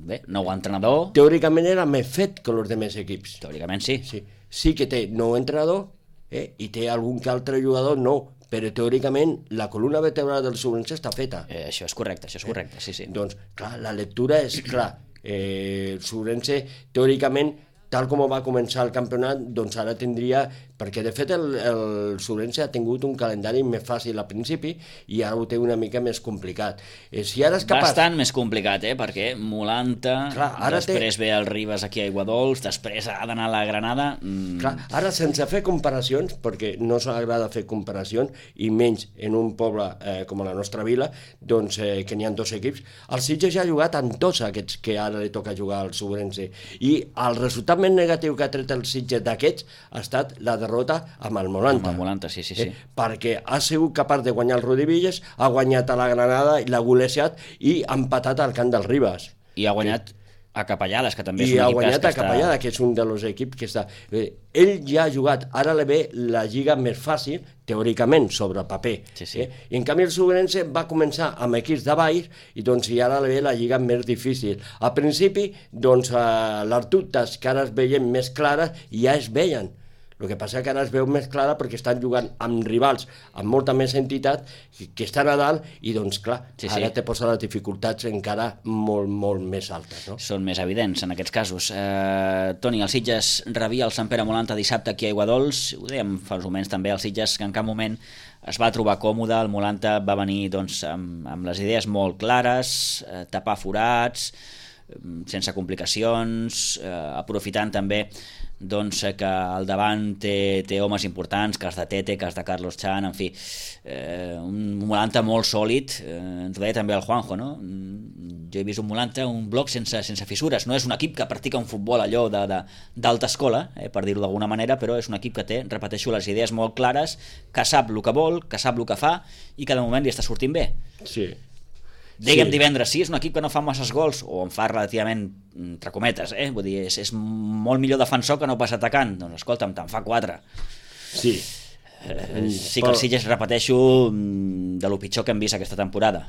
Bé, nou entrenador... Teòricament era més fet que els demés equips. Teòricament sí. Sí, sí que té nou entrenador eh, i té algun que altre jugador nou, però teòricament la columna vertebral del Segurense està feta. Eh, això és correcte, això és correcte, sí, sí. Doncs, clar, la lectura és clar. Eh, el Segurense, teòricament, tal com va començar el campionat, doncs ara tindria... Perquè, de fet, el, el Segurense ha tingut un calendari més fàcil al principi i ara ho té una mica més complicat. Eh, si ara és capaç... Bastant més complicat, eh? Perquè Molanta, clar, ara després té... ve el Ribes aquí a Aiguadols, després ha d'anar a la Granada... Mm... Clar, ara, sense fer comparacions, perquè no s'agrada fer comparacions, i menys en un poble eh, com la nostra vila, doncs eh, que n'hi ha dos equips, el Sitges ja ha jugat amb tots aquests que ara li toca jugar al Segurense. I el resultat més negatiu que ha tret el Sitges d'aquests ha estat la derrota amb el Molanta. Amb el Molanta, sí, sí, sí. Eh, perquè ha sigut capaç de guanyar el Rodevillas, ha guanyat a la Granada i l'ha golejat i ha empatat al camp del Ribes. I ha guanyat eh? a Capellades, que també és I un ha equip guanyat que a Capellades, està... que és un dels equips que està... Eh, ell ja ha jugat, ara li ve la lliga més fàcil, teòricament, sobre el paper. Sí, sí. Eh? I en canvi el Segurense va començar amb equips de baix i doncs i ara li ve la lliga més difícil. Al principi, doncs, eh, les dubtes que ara es veien més clares ja es veien. El que passa que ara es veu més clara perquè estan jugant amb rivals amb molta més entitat que estan a dalt i doncs clar, sí, sí. ara te posa les dificultats encara molt, molt més altes, no? Són més evidents en aquests casos. Eh, Toni, el Sitges rebia el Sant Pere Molanta dissabte aquí a Aiguadols, ho dèiem fa uns moments també, el Sitges que en cap moment es va trobar còmode, el Molanta va venir doncs, amb, amb les idees molt clares, eh, tapar forats, sense complicacions, eh, aprofitant també doncs que al davant té, té homes importants, cas de Tete, cas de Carlos Chan, en fi, eh, un Molanta molt sòlid, eh, ens ho deia també el Juanjo, no? Jo he vist un Molanta, un bloc sense, sense fissures, no és un equip que practica un futbol allò d'alta escola, eh, per dir-ho d'alguna manera, però és un equip que té, repeteixo, les idees molt clares, que sap el que vol, que sap el que fa i que de moment li està sortint bé. Sí. Dèiem sí. Divendres, sí, és un equip que no fa masses gols, o en fa relativament, entre cometes, eh? Vull dir, és, és molt millor defensor que no pas atacant. Doncs escolta'm, te'n fa quatre. Sí. Eh, sí que el Sitges, repeteixo, de lo pitjor que hem vist aquesta temporada.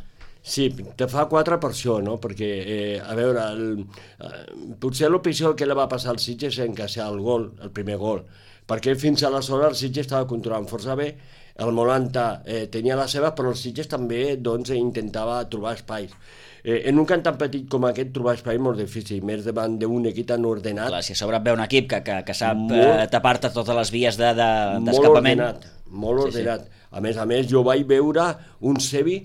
Sí, te fa quatre per això, no? Perquè, eh, a veure, el, eh, potser el pitjor que li va passar al Sitges és encaixar el gol, el primer gol, perquè fins aleshores el Sitges estava controlant força bé, el Molanta eh, tenia la seva, però el Sitges també doncs, intentava trobar espais. Eh, en un camp tan petit com aquest trobar espai és molt difícil, més davant d'un equip tan ordenat. Clar, si a sobre ve un equip que, que, que sap molt, eh, tapar-te totes les vies d'escapament. De, de, molt ordenat, molt ordenat. Sí, sí. A més a més, jo vaig veure un Sevi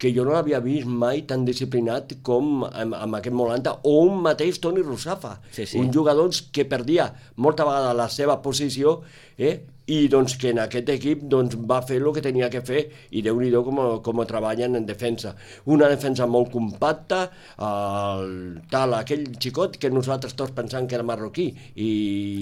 que jo no l'havia vist mai tan disciplinat com amb, amb aquest Molanta, o un mateix Toni Russafa, sí, sí. un jugador que perdia molta vegada la seva posició, eh? i doncs que en aquest equip doncs, va fer el que tenia que fer i Déu-n'hi-do com, com treballen en defensa. Una defensa molt compacta, el, tal, aquell xicot que nosaltres tots pensàvem que era marroquí i,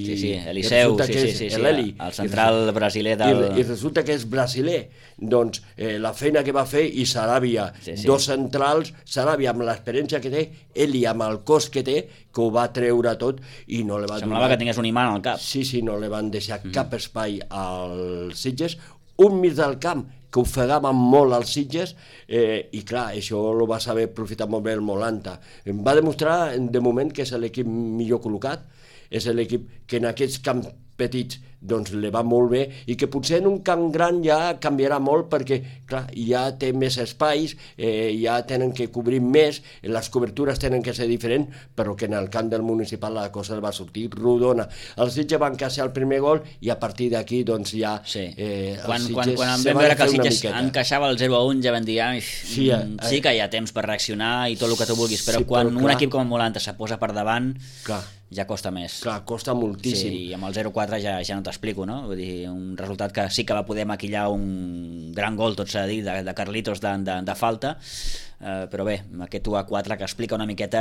sí, sí, Eliseu, sí, sí, sí, sí, el, el central i, brasiler del... I, i resulta que és brasiler. Doncs eh, la feina que va fer i Saràbia, sí, sí. dos centrals, Saràbia amb l'experiència que té, Eli amb el cos que té, que ho va treure tot i no le va semblava donar... que tingués un imant al cap. Sí, sí, no li van deixar mm-hmm. cap espai als Sitges, un mig del camp que ofegava molt als Sitges eh, i clar, això ho va saber aprofitar molt bé el Molanta. Va demostrar de moment que és l'equip millor col·locat, és l'equip que en aquests camps petits doncs li va molt bé i que potser en un camp gran ja canviarà molt perquè clar, ja té més espais, eh, ja tenen que cobrir més, les cobertures tenen que ser diferents, però que en el camp del municipal la cosa va sortir rodona. Els Sitges van caçar el primer gol i a partir d'aquí doncs ja sí. eh, els quan, Sitges quan, quan vam veure que els Sitges encaixava el zero a un ja vam dir ah, sí, eh, sí que hi ha temps per reaccionar i tot el que tu vulguis, però sí, quan però, un equip com el Molanta se posa per davant clar. ja costa més. Clar, costa moltíssim. Sí, i amb el zero quatre ja, ja no t'explico, no? Vull dir, un resultat que sí que va poder maquillar un gran gol, tot s'ha de dir, de, de Carlitos de, de, de falta, eh, però bé, aquest u a quatre que explica una miqueta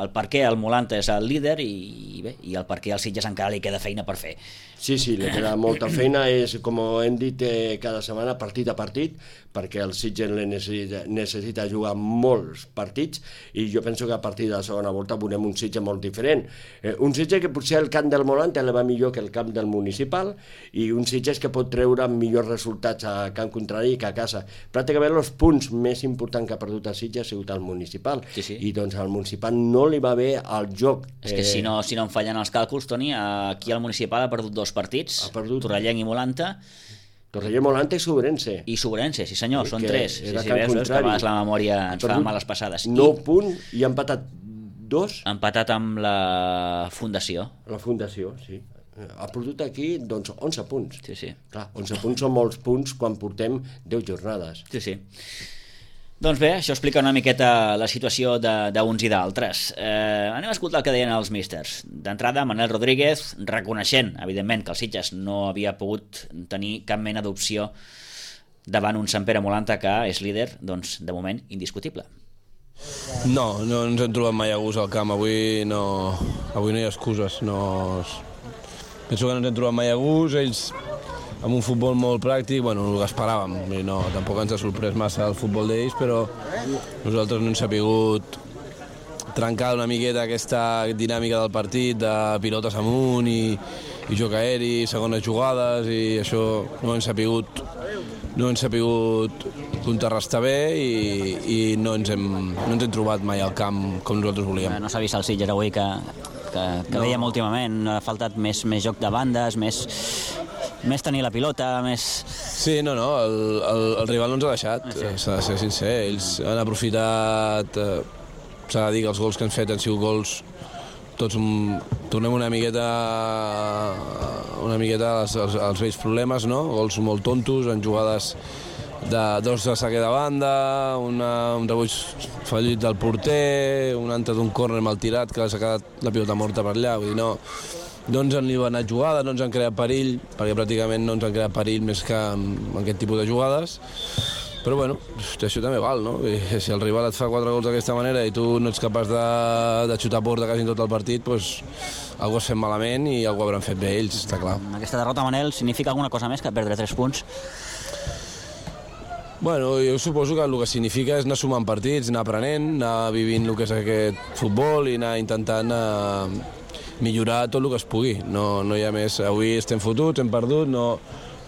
el per què el Molanta és el líder i, i bé, i el per què al Sitges encara li queda feina per fer. Sí, sí, li queda molta feina, és com hem dit eh, cada setmana, partit a partit, perquè el Sitges necessita, necessita jugar molts partits i jo penso que a partir de la segona volta veurem un Sitges molt diferent. Eh, un Sitges que potser el camp del Molanta li va millor que el camp del municipal i un Sitges que pot treure millors resultats a camp contrari que a casa. Pràcticament els punts més importants que ha perdut el Sitges ha sigut el municipal sí, sí. i doncs al municipal no li va bé el joc. És que eh... si, no, si no em fallen els càlculs, Toni, aquí al municipal ha perdut dos partits, ha perdut Torrellenc i Molanta. Torrellenc, Molanta i Sobrense. I Sobrense, sí senyor, sí, són tres. Sí, sí, veus, veus que a vegades la memòria ens fa males passades. nou punts i ha empatat dos. Ha empatat amb la Fundació. La Fundació, sí. Ha perdut aquí doncs onze punts. Sí, sí. Clar, onze punts són molts punts quan portem deu jornades. Sí, sí. Doncs bé, això explica una miqueta la situació d'uns i d'altres. Eh, anem a escoltar el que deien els místers. D'entrada, Manel Rodríguez, reconeixent, evidentment, que el Sitges no havia pogut tenir cap mena d'opció davant un Sant Pere Molanta que és líder, doncs, de moment, indiscutible. No, no ens hem trobat mai a gust al camp. Avui no, avui no hi ha excuses. No... Penso que no ens hem trobat mai a gust. Ells amb un futbol molt pràctic, bueno, el que esperàvem, i no, tampoc ens ha sorprès massa el futbol d'ells, però nosaltres no hem sapigut trencar una miqueta aquesta dinàmica del partit, de pilotes amunt i, i joc aeri, segones jugades, i això no hem sapigut, no hem sapigut contrarrestar bé i, i no, ens hem, no ens hem trobat mai al camp com nosaltres volíem. No s'ha vist el Sitges avui que, que, que no. Veiem últimament, ha faltat més, més joc de bandes, més... més tenir la pilota, més... Sí, no, no, el, el, el rival no ens ha deixat, ah, sí. S'ha de ser sincer. Ells han aprofitat, eh, s'ha de dir que els gols que han fet han sigut gols, tots un, tornem una miqueta, una miqueta als, als, als vells problemes, no? Gols molt tontos, en jugades de dos de saque de banda, una, un rebuig fallit del porter, un altre d'un córner mal tirat que s'ha quedat la pilota morta per allà, vull dir, no... No ens han libanat jugada, no ens han creat perill, perquè pràcticament no ens han creat perill més que amb aquest tipus de jugades. Però bueno, això també val, no? I si el rival et fa quatre gols d'aquesta manera i tu no ets capaç de, de xutar a porta quasi en tot el partit, doncs algú has fet malament i algú hauran fet bé ells, està clar. Aquesta derrota, Manel, significa alguna cosa més que perdre tres punts? Bueno, jo suposo que el que significa és anar sumant partits, anar aprenent, anar vivint el que és aquest futbol i anar intentant... Eh, millorar tot el que es pugui, no, no hi ha més. Avui estem fotuts, hem perdut, no,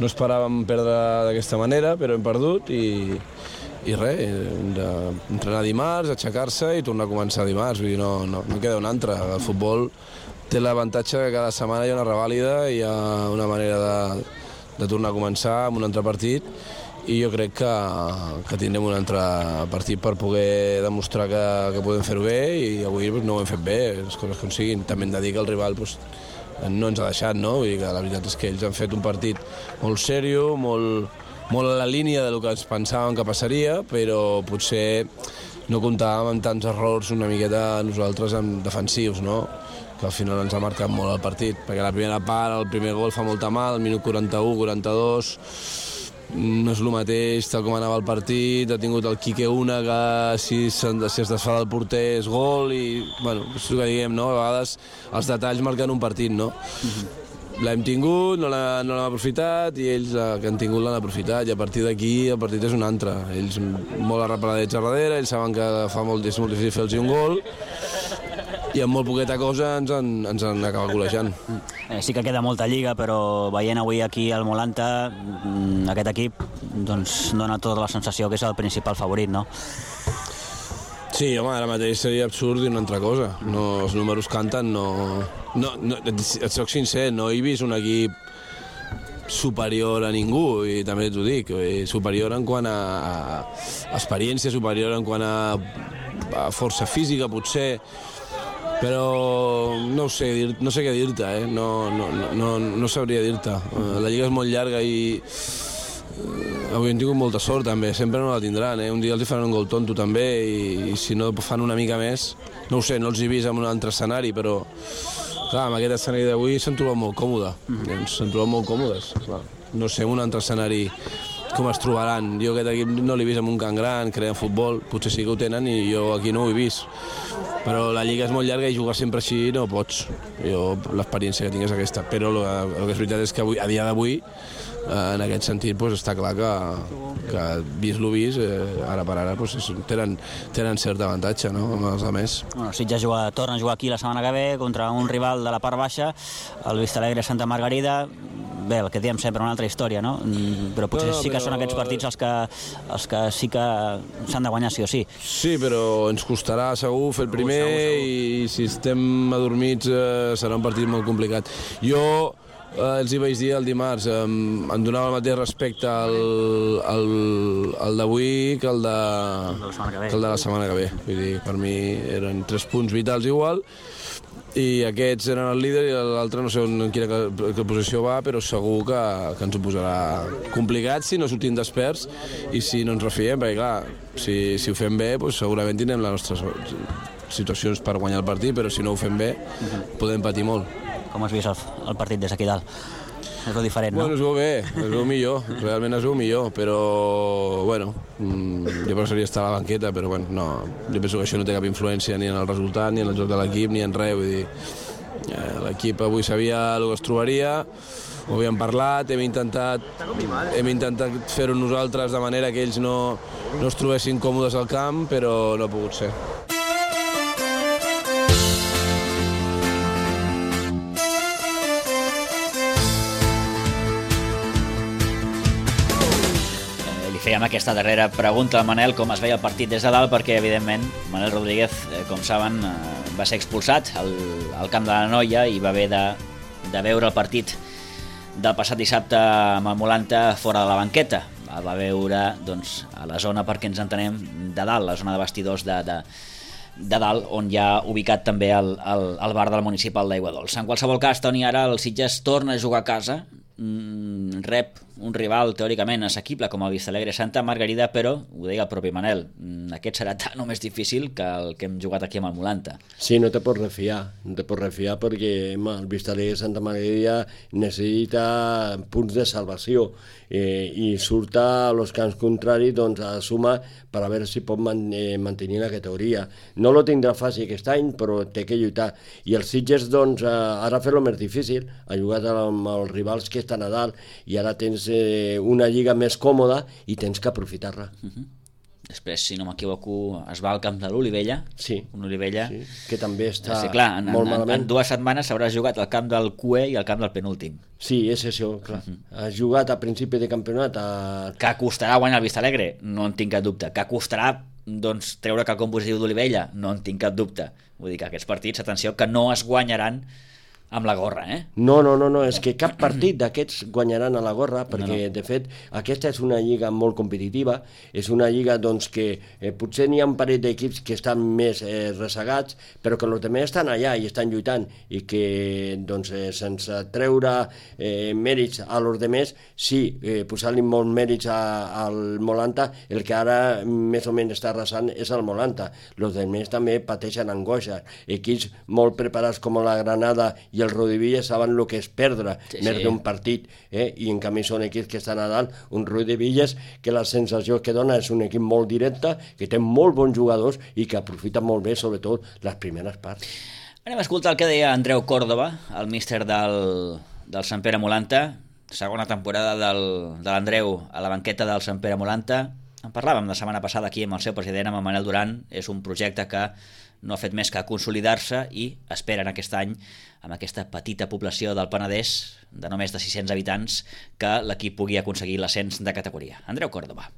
no esperàvem perdre d'aquesta manera, però hem perdut i, i res, entrenar dimarts, aixecar-se i tornar a començar dimarts, vull dir, no, no, no queda un altre. El futbol té l'avantatge que cada setmana hi ha una revàlida, hi ha una manera de, de tornar a començar amb un altre partit i jo crec que, que tindrem un altre partit per poder demostrar que, que podem fer-ho bé i avui pues, no ho hem fet bé, les coses com siguin. També hem de dir que el rival pues, no ens ha deixat, no? Vull dir que la veritat és que ells han fet un partit molt sèrio, molt, molt a la línia del que ens pensàvem que passaria, però potser no comptàvem amb tants errors una miqueta nosaltres amb defensius, no? Que al final ens ha marcat molt el partit, perquè la primera part, el primer gol fa molta mal, el minut quaranta-u, quaranta-dos, no és el mateix tal com anava el partit, ha tingut el Quique una que si, si es desfà del porter és gol i, bueno, és el que diguem, no? A vegades els detalls marquen un partit, no? Mm-hmm. L'hem tingut, no l'hem no aprofitat i ells eh, que han tingut l'han aprofitat i a partir d'aquí el partit és un altre. Ells molt arreparadets a darrere, ells saben que fa molt, és molt difícil fer-los un gol i amb molt poqueta cosa ens han, ens han acabat golejant. Eh, sí que queda molta lliga, però veient avui aquí al Molanta, aquest equip doncs, dona tota la sensació que és el principal favorit, no? Sí, home, ara mateix seria absurd dir una altra cosa. No, els números canten, no... no, no et, et soc sincer, no he vist un equip superior a ningú, i també t'ho dic, superior en quant a, a experiència, superior en quant a, a força física, potser, però no sé, dir, no sé què dir-te, eh? no, no, no, no sabria dir-te. La lliga és molt llarga i avui hem tingut molta sort també, sempre no la tindran, eh? Un dia els hi faran un gol tonto també i, i si no fan una mica més, no ho sé, no els he vist en un altre escenari, però clar, amb aquest escenari d'avui s'han trobat molt còmodes, mm-hmm. s'han trobat molt còmodes, clar. No sé, en un altre escenari com es trobaran. Jo aquest equip no l'he vist en un camp gran, creen futbol, potser sí que ho tenen i jo aquí no ho he vist. Però la lliga és molt llarga i jugar sempre així no pots. Jo l'experiència que tinc és aquesta, però el, el que és veritat és que avui, a dia d'avui, en aquest sentit doncs, està clar que, que vist lo vist, eh, ara per ara doncs, tenen, tenen cert avantatge, no?, amb els altres. Bueno, Sitges juga, torna a jugar aquí la setmana que ve contra un rival de la part baixa, el Vistalegre Santa Margarida. Bé, el que diem sempre, una altra història, no? Però potser no, no, sí que però... són aquests partits els que, els que sí que s'han de guanyar sí o sí. Sí, però ens costarà segur fer el primer segur, segur, segur. I si estem adormits eh, serà un partit molt complicat. Jo eh, els hi vaig dir el dimarts, eh, em donava el mateix respecte al, al, al d'avui que el de, que el de la setmana que ve. Vull dir, per mi eren tres punts vitals igual, i aquests eren el líder i l'altre no sé en quina que posició va, però segur que, que ens ho posarà complicat si no sortim desperts i si no ens refiem, perquè clar, si, si ho fem bé doncs segurament tindrem les nostres situacions per guanyar el partit, però si no ho fem bé podem patir molt. Com has vist el, el partit des d'aquí dalt? És el diferent, no? Bueno, es veu bé, es veu millor, realment es veu millor, però, bueno, jo preferiria estar a la banqueta, però, bueno, no, jo penso que això no té cap influència ni en el resultat, ni en el joc de l'equip, ni en res, vull dir, eh, l'equip avui sabia el que es trobaria, ho havíem parlat, hem intentat, hem intentat fer-ho nosaltres de manera que ells no, no es trobessin còmodes al camp, però no ha pogut ser. Fèiem aquesta darrera pregunta al Manel, com es veia el partit des de dalt, perquè, evidentment, Manel Rodríguez, com saben, va ser expulsat al, al camp de la Noia i va haver de, de veure el partit del passat dissabte amb el Molanta fora de la banqueta. El va veure doncs, a la zona, perquè ens entenem, de dalt, la zona de vestidors de, de, de dalt, on hi ha ubicat també el, el, el bar del municipal d'Aiguadols. En qualsevol cas, Toni, ara el Sitges torna a jugar a casa, Mm, rep un rival teòricament assequible com el Vistalegre Santa Margarida, però, ho deia el propi Manel, aquest serà tan o més difícil que el que hem jugat aquí amb el Molanta. Sí, no te pots refiar, no te pots refiar perquè home, el Vistalegre Santa Margarida necessita punts de salvació eh, i surt a los camps contraris doncs, a suma per a veure si pot man, eh, mantenir la categoria. No lo tindrà fàcil aquest any, però té que lluitar. I els Sitges doncs, ara fer-lo més difícil, ha jugat amb els rivals que estan a dalt i ara tens eh, una lliga més còmoda i tens que aprofitar-la. Uh-huh. Després, si no m'equivoco, es va al camp de l'Olivella. Sí, un Olivella sí, que també està sí, clar, en, molt en, malament. En dues setmanes s'haurà jugat al camp del Q E i al camp del penúltim. Sí, és això, clar. Uh-huh. Ha jugat a principi de campionat. A... Que costarà guanyar el Vistalegre? No en tinc cap dubte. Que costarà doncs, treure quelcom positiu d'Olivella? No en tinc cap dubte. Vull dir que aquests partits, atenció, que no es guanyaran amb la gorra, eh? No, no, no, no, és que cap partit d'aquests guanyaran a la gorra, perquè, no, no. de fet, aquesta és una lliga molt competitiva, és una lliga, doncs, que eh, potser n'hi ha un parell d'equips que estan més eh, resegats, però que els altres estan allà i estan lluitant, i que, doncs, eh, sense treure eh, mèrits a els altres, sí, eh, posar-li molts mèrits a, al Molanta, el que ara més o menys està arrasant és el Molanta. Els altres també pateixen angoixa. Equips molt preparats com la Granada i el Rodivilla saben el que és perdre sí, més sí. d'un partit, eh? I en canvi són equips que estan a dalt, un Rodivillas que la sensació que dona és un equip molt directe, que té molt bons jugadors i que aprofita molt bé, sobretot, les primeres parts. Anem a escoltar el que deia Andreu Córdoba, el míster del, del Sant Pere Molanta, segona temporada del, de l'Andreu a la banqueta del Sant Pere Molanta. En parlàvem la setmana passada aquí amb el seu president, amb el Manel Duran. És un projecte que no ha fet més que consolidar-se i esperen aquest any, amb aquesta petita població del Penedès, de només de sis-cents habitants, que l'equip pugui aconseguir l'ascens de categoria. Andreu Córdoba.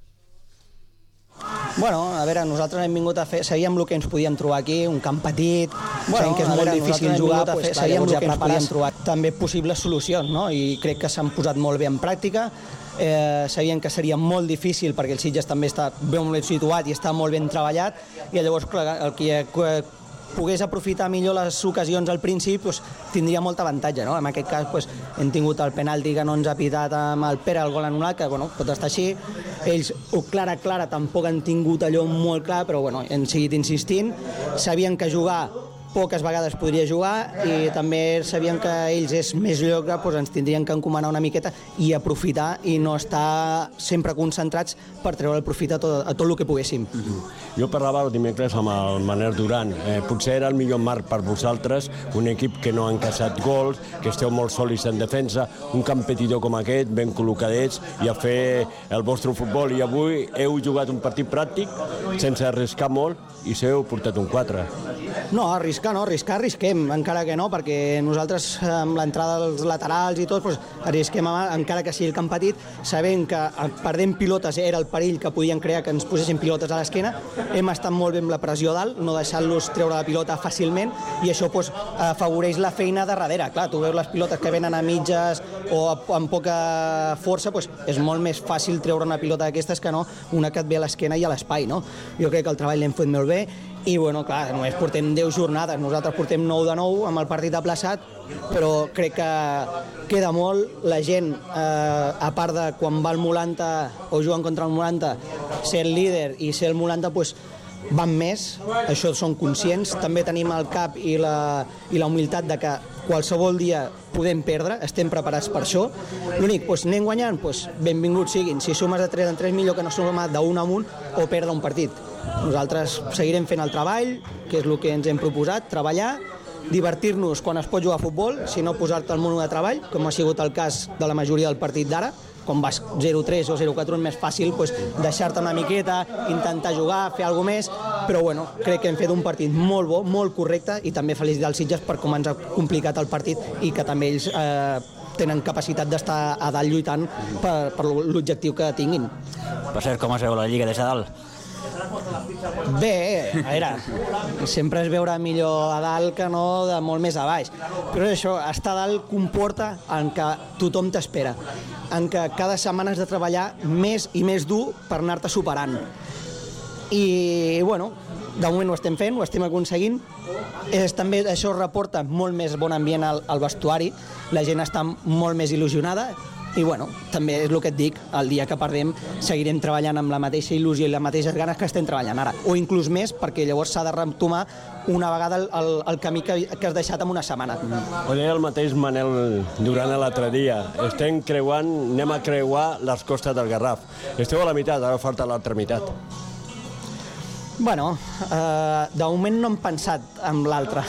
Bueno, a veure, nosaltres hem vingut a fer, sabíem el que ens podíem trobar aquí, un camp petit, bueno, sabíem que és molt veure, difícil jugar, pues, fer, sabíem el que ens podíem trobar, també possibles solucions, no? I crec que s'han posat molt bé en pràctica. Eh, sabien que seria molt difícil perquè el Sitges també està ben situat i està molt ben treballat, i llavors clar, el que pogués aprofitar millor les ocasions al principi pues, tindria molt avantatge, no? En aquest cas pues, hem tingut el penalti que no ens ha pitat amb el Pere, el gol anul·lat, que bueno, pot estar així. Ells, o clara, clara, tampoc han tingut allò molt clar, però bueno, hem seguit insistint. Sabien que jugar poques vegades podria jugar i també sabíem que ells és més lloc, doncs ens tindrien que encomanar una miqueta i aprofitar i no estar sempre concentrats per treure el profit a tot, a tot el que poguéssim. Mm-hmm. Jo parlava el dimecres amb el Manel Duran. Eh, potser era el millor marc per vosaltres, un equip que no ha encaixat gols, que esteu molt sòlids en defensa, un competidor com aquest, ben col·locadets, i a fer el vostre futbol. I avui heu jugat un partit pràctic, sense arriscar molt, i s'heu portat un quatre. No, arriscar no, arriscar arrisquem, encara que no, perquè nosaltres amb l'entrada dels laterals i tot, doncs, arrisquem encara que sigui el camp petit, sabent que perdent pilotes era el perill que podien crear que ens posessin pilotes a l'esquena. Hem estat molt bé amb la pressió dalt, no deixant-los treure la pilota fàcilment, i això doncs, afavoreix la feina de darrere. Clar, tu veus les pilotes que venen a mitges o amb poca força, doncs, és molt més fàcil treure una pilota d'aquestes que no una que et ve a l'esquena i a l'espai, no? Jo crec que el treball l'hem fet molt bé. I, bueno, clar, només portem deu jornades, nosaltres portem nou de nou amb el partit aplaçat, però crec que queda molt. La gent, eh, a part de quan va el Molanta o juguen contra el Molanta, ser el líder i ser el Molanta, doncs, van més, això són conscients. També tenim el cap i la, i la humilitat de que qualsevol dia podem perdre, estem preparats per això. L'únic, doncs, anem guanyant, doncs, benvinguts siguin. Si sumes de tres en tres, millor que no sumar d'un amunt o perdre un partit. Nosaltres seguirem fent el treball, que és el que ens hem proposat, treballar, divertir-nos quan es pot jugar a futbol, si no posar-te al món de treball, com ha sigut el cas de la majoria del partit d'ara. Quan vas zero tres o zero quatre és més fàcil doncs, deixar-te una miqueta, intentar jugar, fer alguna més, però bueno, crec que hem fet un partit molt bo, molt correcte, i també felicitar els Sitges per com ens ha complicat el partit i que també ells eh, tenen capacitat d'estar a dalt lluitant per, per l'objectiu que tinguin. Per cert, com es veu la Lliga des de dalt? Bé, a veure, sempre es veurà millor a dalt que no de molt més a baix, però això, estar a dalt comporta en que tothom t'espera, en que cada setmana has de treballar més i més dur per anar-te superant. I, bueno, de moment ho estem fent, ho estem aconseguint. És, també això reporta molt més bon ambient al, al vestuari, la gent està molt més il·lusionada. I bueno, també és el que et dic, el dia que perdem seguirem treballant amb la mateixa il·lusió i les mateixes ganes que estem treballant ara, o inclús més, perquè llavors s'ha de retomar una vegada el, el, el camí que, que has deixat en una setmana. Ho deia el mateix Manel Duran l'altre dia, estem creuant, anem a creuar les costes del Garraf. Esteu a la meitat, ara falta l'altra meitat. Bueno, eh, de moment no hem pensat en l'altre.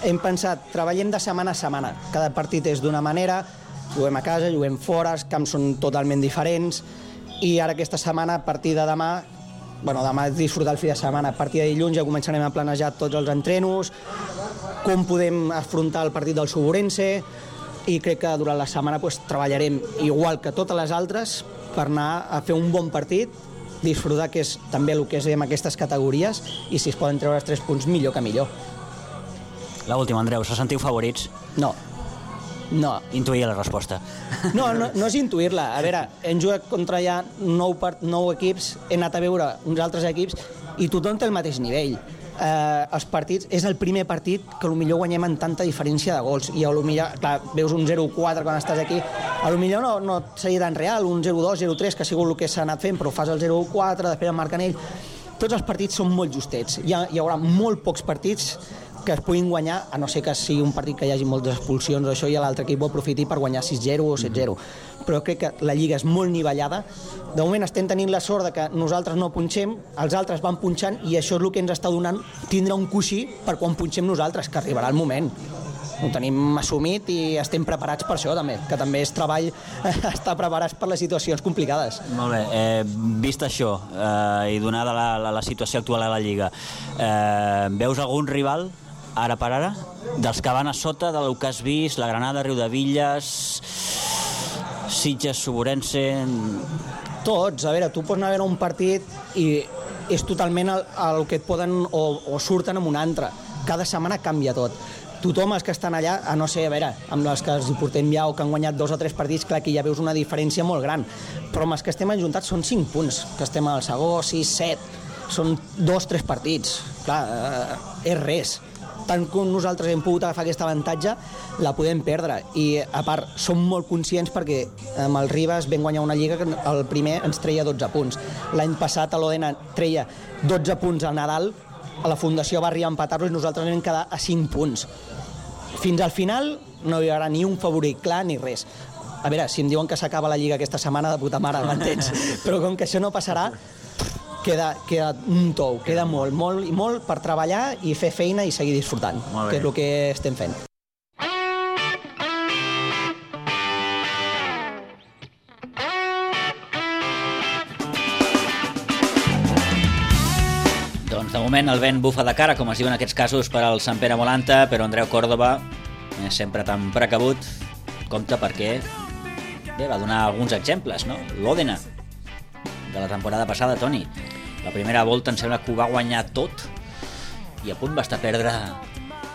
Hem pensat, treballem de setmana a setmana. Cada partit és d'una manera, juguem a casa, juguem fora, els camps són totalment diferents, i ara aquesta setmana, a partir de demà, bueno, demà és disfrutar el fi de setmana, a partir de dilluns ja començarem a planejar tots els entrenos, com podem afrontar el partit del Suburense, i crec que durant la setmana pues, treballarem igual que totes les altres per anar a fer un bon partit, disfrutar, que és també el que és en aquestes categories, i si es poden treure els tres punts, millor que millor. L'última, Andreu, se sentiu favorits? No. No. Intuïa la resposta. No, no, no és intuir-la. A veure, hem jugat contra ja nou, part, nou equips, he anat a veure uns altres equips i tothom té el mateix nivell. Eh, els partits, és el primer partit que potser guanyem en tanta diferència de gols i potser, clar, veus un zero quatre quan estàs aquí, potser no, no seria tan real, un zero dos, zero tres, que ha sigut el que s'ha anat fent, però fas el zero quatre, després el marquen ell. Tots els partits són molt justets. Hi, ha, hi haurà molt pocs partits que es puguin guanyar, a no ser que sigui un partit que hi hagi moltes expulsions o això, i l'altre equip ho aprofiti per guanyar sis zero o set zero. Però crec que la Lliga és molt nivellada. De moment estem tenint la sort de que nosaltres no punxem, els altres van punxant, i això és el que ens està donant tindre un coixí per quan punxem nosaltres, que arribarà el moment. Ho tenim assumit i estem preparats per això també, que també és treball estar preparats per les situacions complicades. Molt bé, eh, vist això eh, i donada la, la, la situació actual a la Lliga, eh, veus algun rival ara per ara, dels que van a sota del que has vist, la Granada, Riudevilles, Sitges, Suburense... Tots, a veure, tu pots anar a veure un partit i és totalment el, el que et poden o, o surten amb un altre. Cada setmana canvia tot. Tothom els que estan allà, a no ser, a veure, amb els que els hi portem ja o que han guanyat dos o tres partits, clar que ja veus una diferència molt gran. Però amb els que estem ajuntats són cinc punts, que estem al segó, sis, set, són dos, tres partits. Clar, eh, és res. Tant com nosaltres hem pogut agafar aquest avantatge, la podem perdre. I, a part, som molt conscients perquè amb el Ribas vam guanyar una lliga que el primer ens treia dotze punts. L'any passat a l'Odena treia dotze punts al Nadal, a la Fundació va arribar a empatar-los i nosaltres vam quedar a cinc punts. Fins al final no hi haurà ni un favorit clar ni res. A veure, si em diuen que s'acaba la lliga aquesta setmana, de puta mare, m'entens? Però com que això no passarà, queda, queda un tou, queda molt, molt i molt per treballar i fer feina i seguir disfrutant, que és el que estem fent. Doncs de moment el vent bufa de cara, com es diu en aquests casos, per al Sant Pere Molanta, però Andreu Córdoba, eh, sempre tan precabut, compta perquè bé, va donar alguns exemples, no? L'Òdena, de la temporada passada, Toni. La primera volta em sembla que ho va guanyar tot i a punt va estar a perdre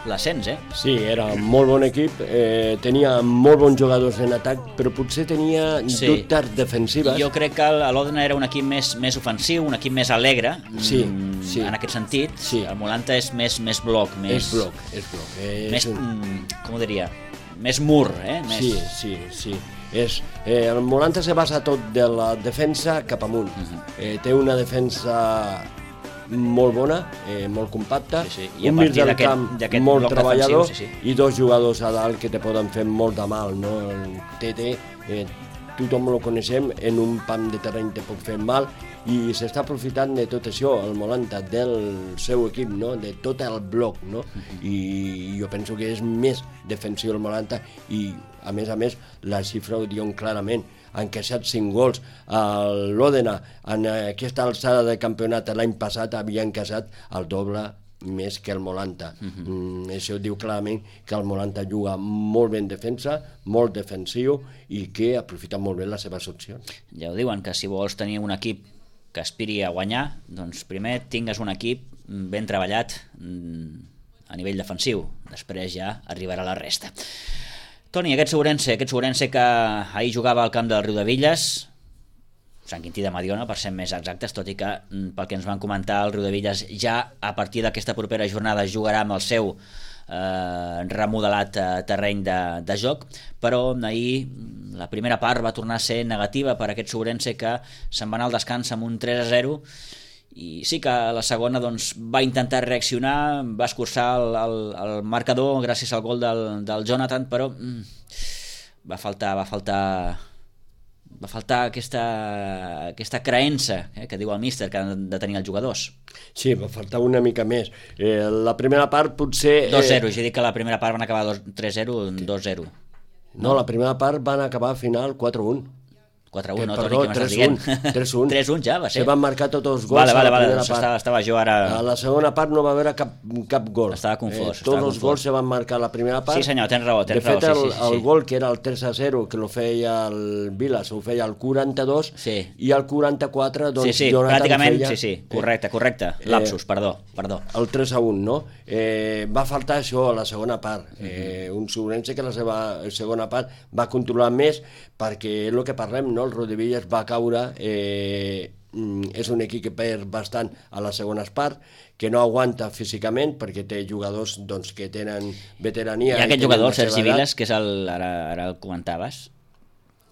l'ascens, eh? Sí, era un molt bon equip, eh, tenia molt bons jugadors en atac, però potser tenia sí. dubtes defensives. Jo crec que l'Òdena era un equip més, més ofensiu, un equip més alegre, sí, sí. en aquest sentit. Sí. El Molanta és més, més bloc. Més, és bloc, és bloc. És més, un... com ho diria? Més mur, eh? Més... Sí, sí, sí. És, eh, el Molanta se basa tot de la defensa cap amunt. Uh-huh. eh, té una defensa molt bona, eh, molt compacta, sí, sí. I un mig del camp molt treballador, sí, sí. i dos jugadors a dalt que te poden fer molt de mal, no? El Tete, eh, tothom el coneixem, en un pam de terreny te pot fer mal, i s'està aprofitant de tot això, el Molanta, del seu equip, no? De tot el bloc, no? Uh-huh. I jo penso que és més defensiu el Molanta, i a més a més la xifra ho diuen clarament, han encaixat cinc gols. L'Òdena en aquesta alçada de campionat l'any passat havia encaixat el doble més que el Molanta. Uh-huh. mm, això diu clarament que el Molanta juga molt ben defensa, molt defensiu, i que aprofita molt bé les seves opcions. Ja ho diuen, que si vols tenir un equip que aspiri a guanyar, doncs primer tingues un equip ben treballat a nivell defensiu, després ja arribarà la resta. Toni, aquest Suburense, aquest Suburense que ahir jugava al camp del Riudevilles, Sant Quintí de Mediona, per ser més exactes, tot i que, pel que ens van comentar, el Riudevilles ja a partir d'aquesta propera jornada jugarà amb el seu eh, remodelat eh, terreny de, de joc, però ahir la primera part va tornar a ser negativa per aquest Suburense, que se'n va anar al descans amb un tres a zero, i sí que la segona doncs, va intentar reaccionar, va escurçar el, el, el marcador gràcies al gol del, del Jonathan, però mm, va faltar va faltar va faltar aquesta, aquesta creença eh, que diu el míster que han de tenir els jugadors. Sí, va faltar una mica més. Eh, la primera part potser... dos zero, eh... jo dic que la primera part van acabar tres zero, dos zero. No, la primera part van acabar al final quatre un. quatre a un, no, perdó, Toni, què m'estàs dient? tres a un. tres a un ja va ser. Se van marcar tots els gols vale, vale, a la vale, primera doncs part. estava, estava jo ara... A la segona part no va haver cap, cap gol. Estava confós. Eh, estava tots els confós. gols se van marcar a la primera part. Sí, senyor, tens raó, tens de fet, raó. Sí, el, sí, sí, el sí. gol, que era el tres a zero, que lo feia el Vilas, ho feia el quaranta-dos, sí. i el quaranta-quatre, doncs, sí, sí, Jonathan pràcticament, feia... Sí, sí, correcte, correcte. Lapsus, eh, perdó, perdó. El tres a un, no? Eh, va faltar això a la segona part. Eh, un Sobrense que la seva segona part va controlar més, perquè és el que parlem, no? El Rodillas va caure... Eh, és un equip que perd bastant a les segones parts, que no aguanta físicament perquè té jugadors doncs, que tenen veterania. Hi ha aquest jugador, el Sergi Vilas, que és el, ara, ara el comentaves,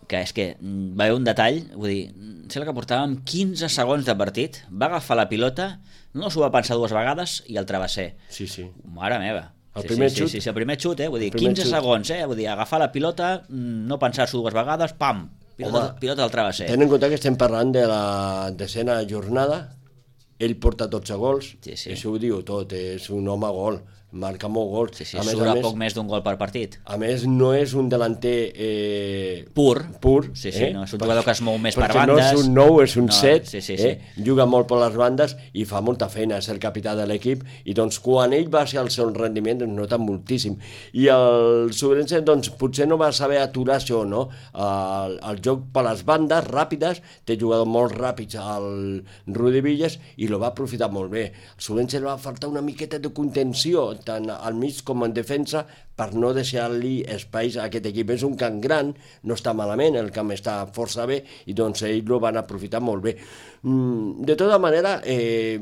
que és que va haver un detall, vull dir, sembla que portàvem quinze segons de partit, va agafar la pilota, no s'ho va pensar dues vegades i el travesser. Sí, sí. Mare meva. El sí, primer sí, xut? Sí, sí, sí, el primer xut, eh? Vull dir, quinze xut. segons, eh? Vull dir, agafar la pilota, no pensar-s'ho dues vegades, pam, pilota, Home, pilota al travesser. Ten en compte que estem parlant de la decena jornada, ell porta dotze gols, sí, sí. Això ho diu tot, és un home gol, marca molt gols. Sí, sí, a més, més, surt a a més, poc més d'un gol per partit. A més, no és un delanter eh, pur, pur sí, sí, eh? no, és un jugador que es mou més per perquè bandes. no és un nou, és un no, set, sí, sí, sí. Eh? Juga molt per les bandes i fa molta feina, és el capità de l'equip, i doncs quan ell va ser al seu rendiment doncs nota moltíssim. I el Sobrense doncs potser no va saber aturar això, no? El, el joc per les bandes ràpides, té jugadors molt ràpids al Rudi Villas i lo va aprofitar molt bé. Al Sobrense li va faltar una miqueta de contenció, tant al mig com en defensa, per no deixar-li espais a aquest equip. És un camp gran, no està malament, el camp està força bé, i doncs ells ho van aprofitar molt bé. De tota manera, eh,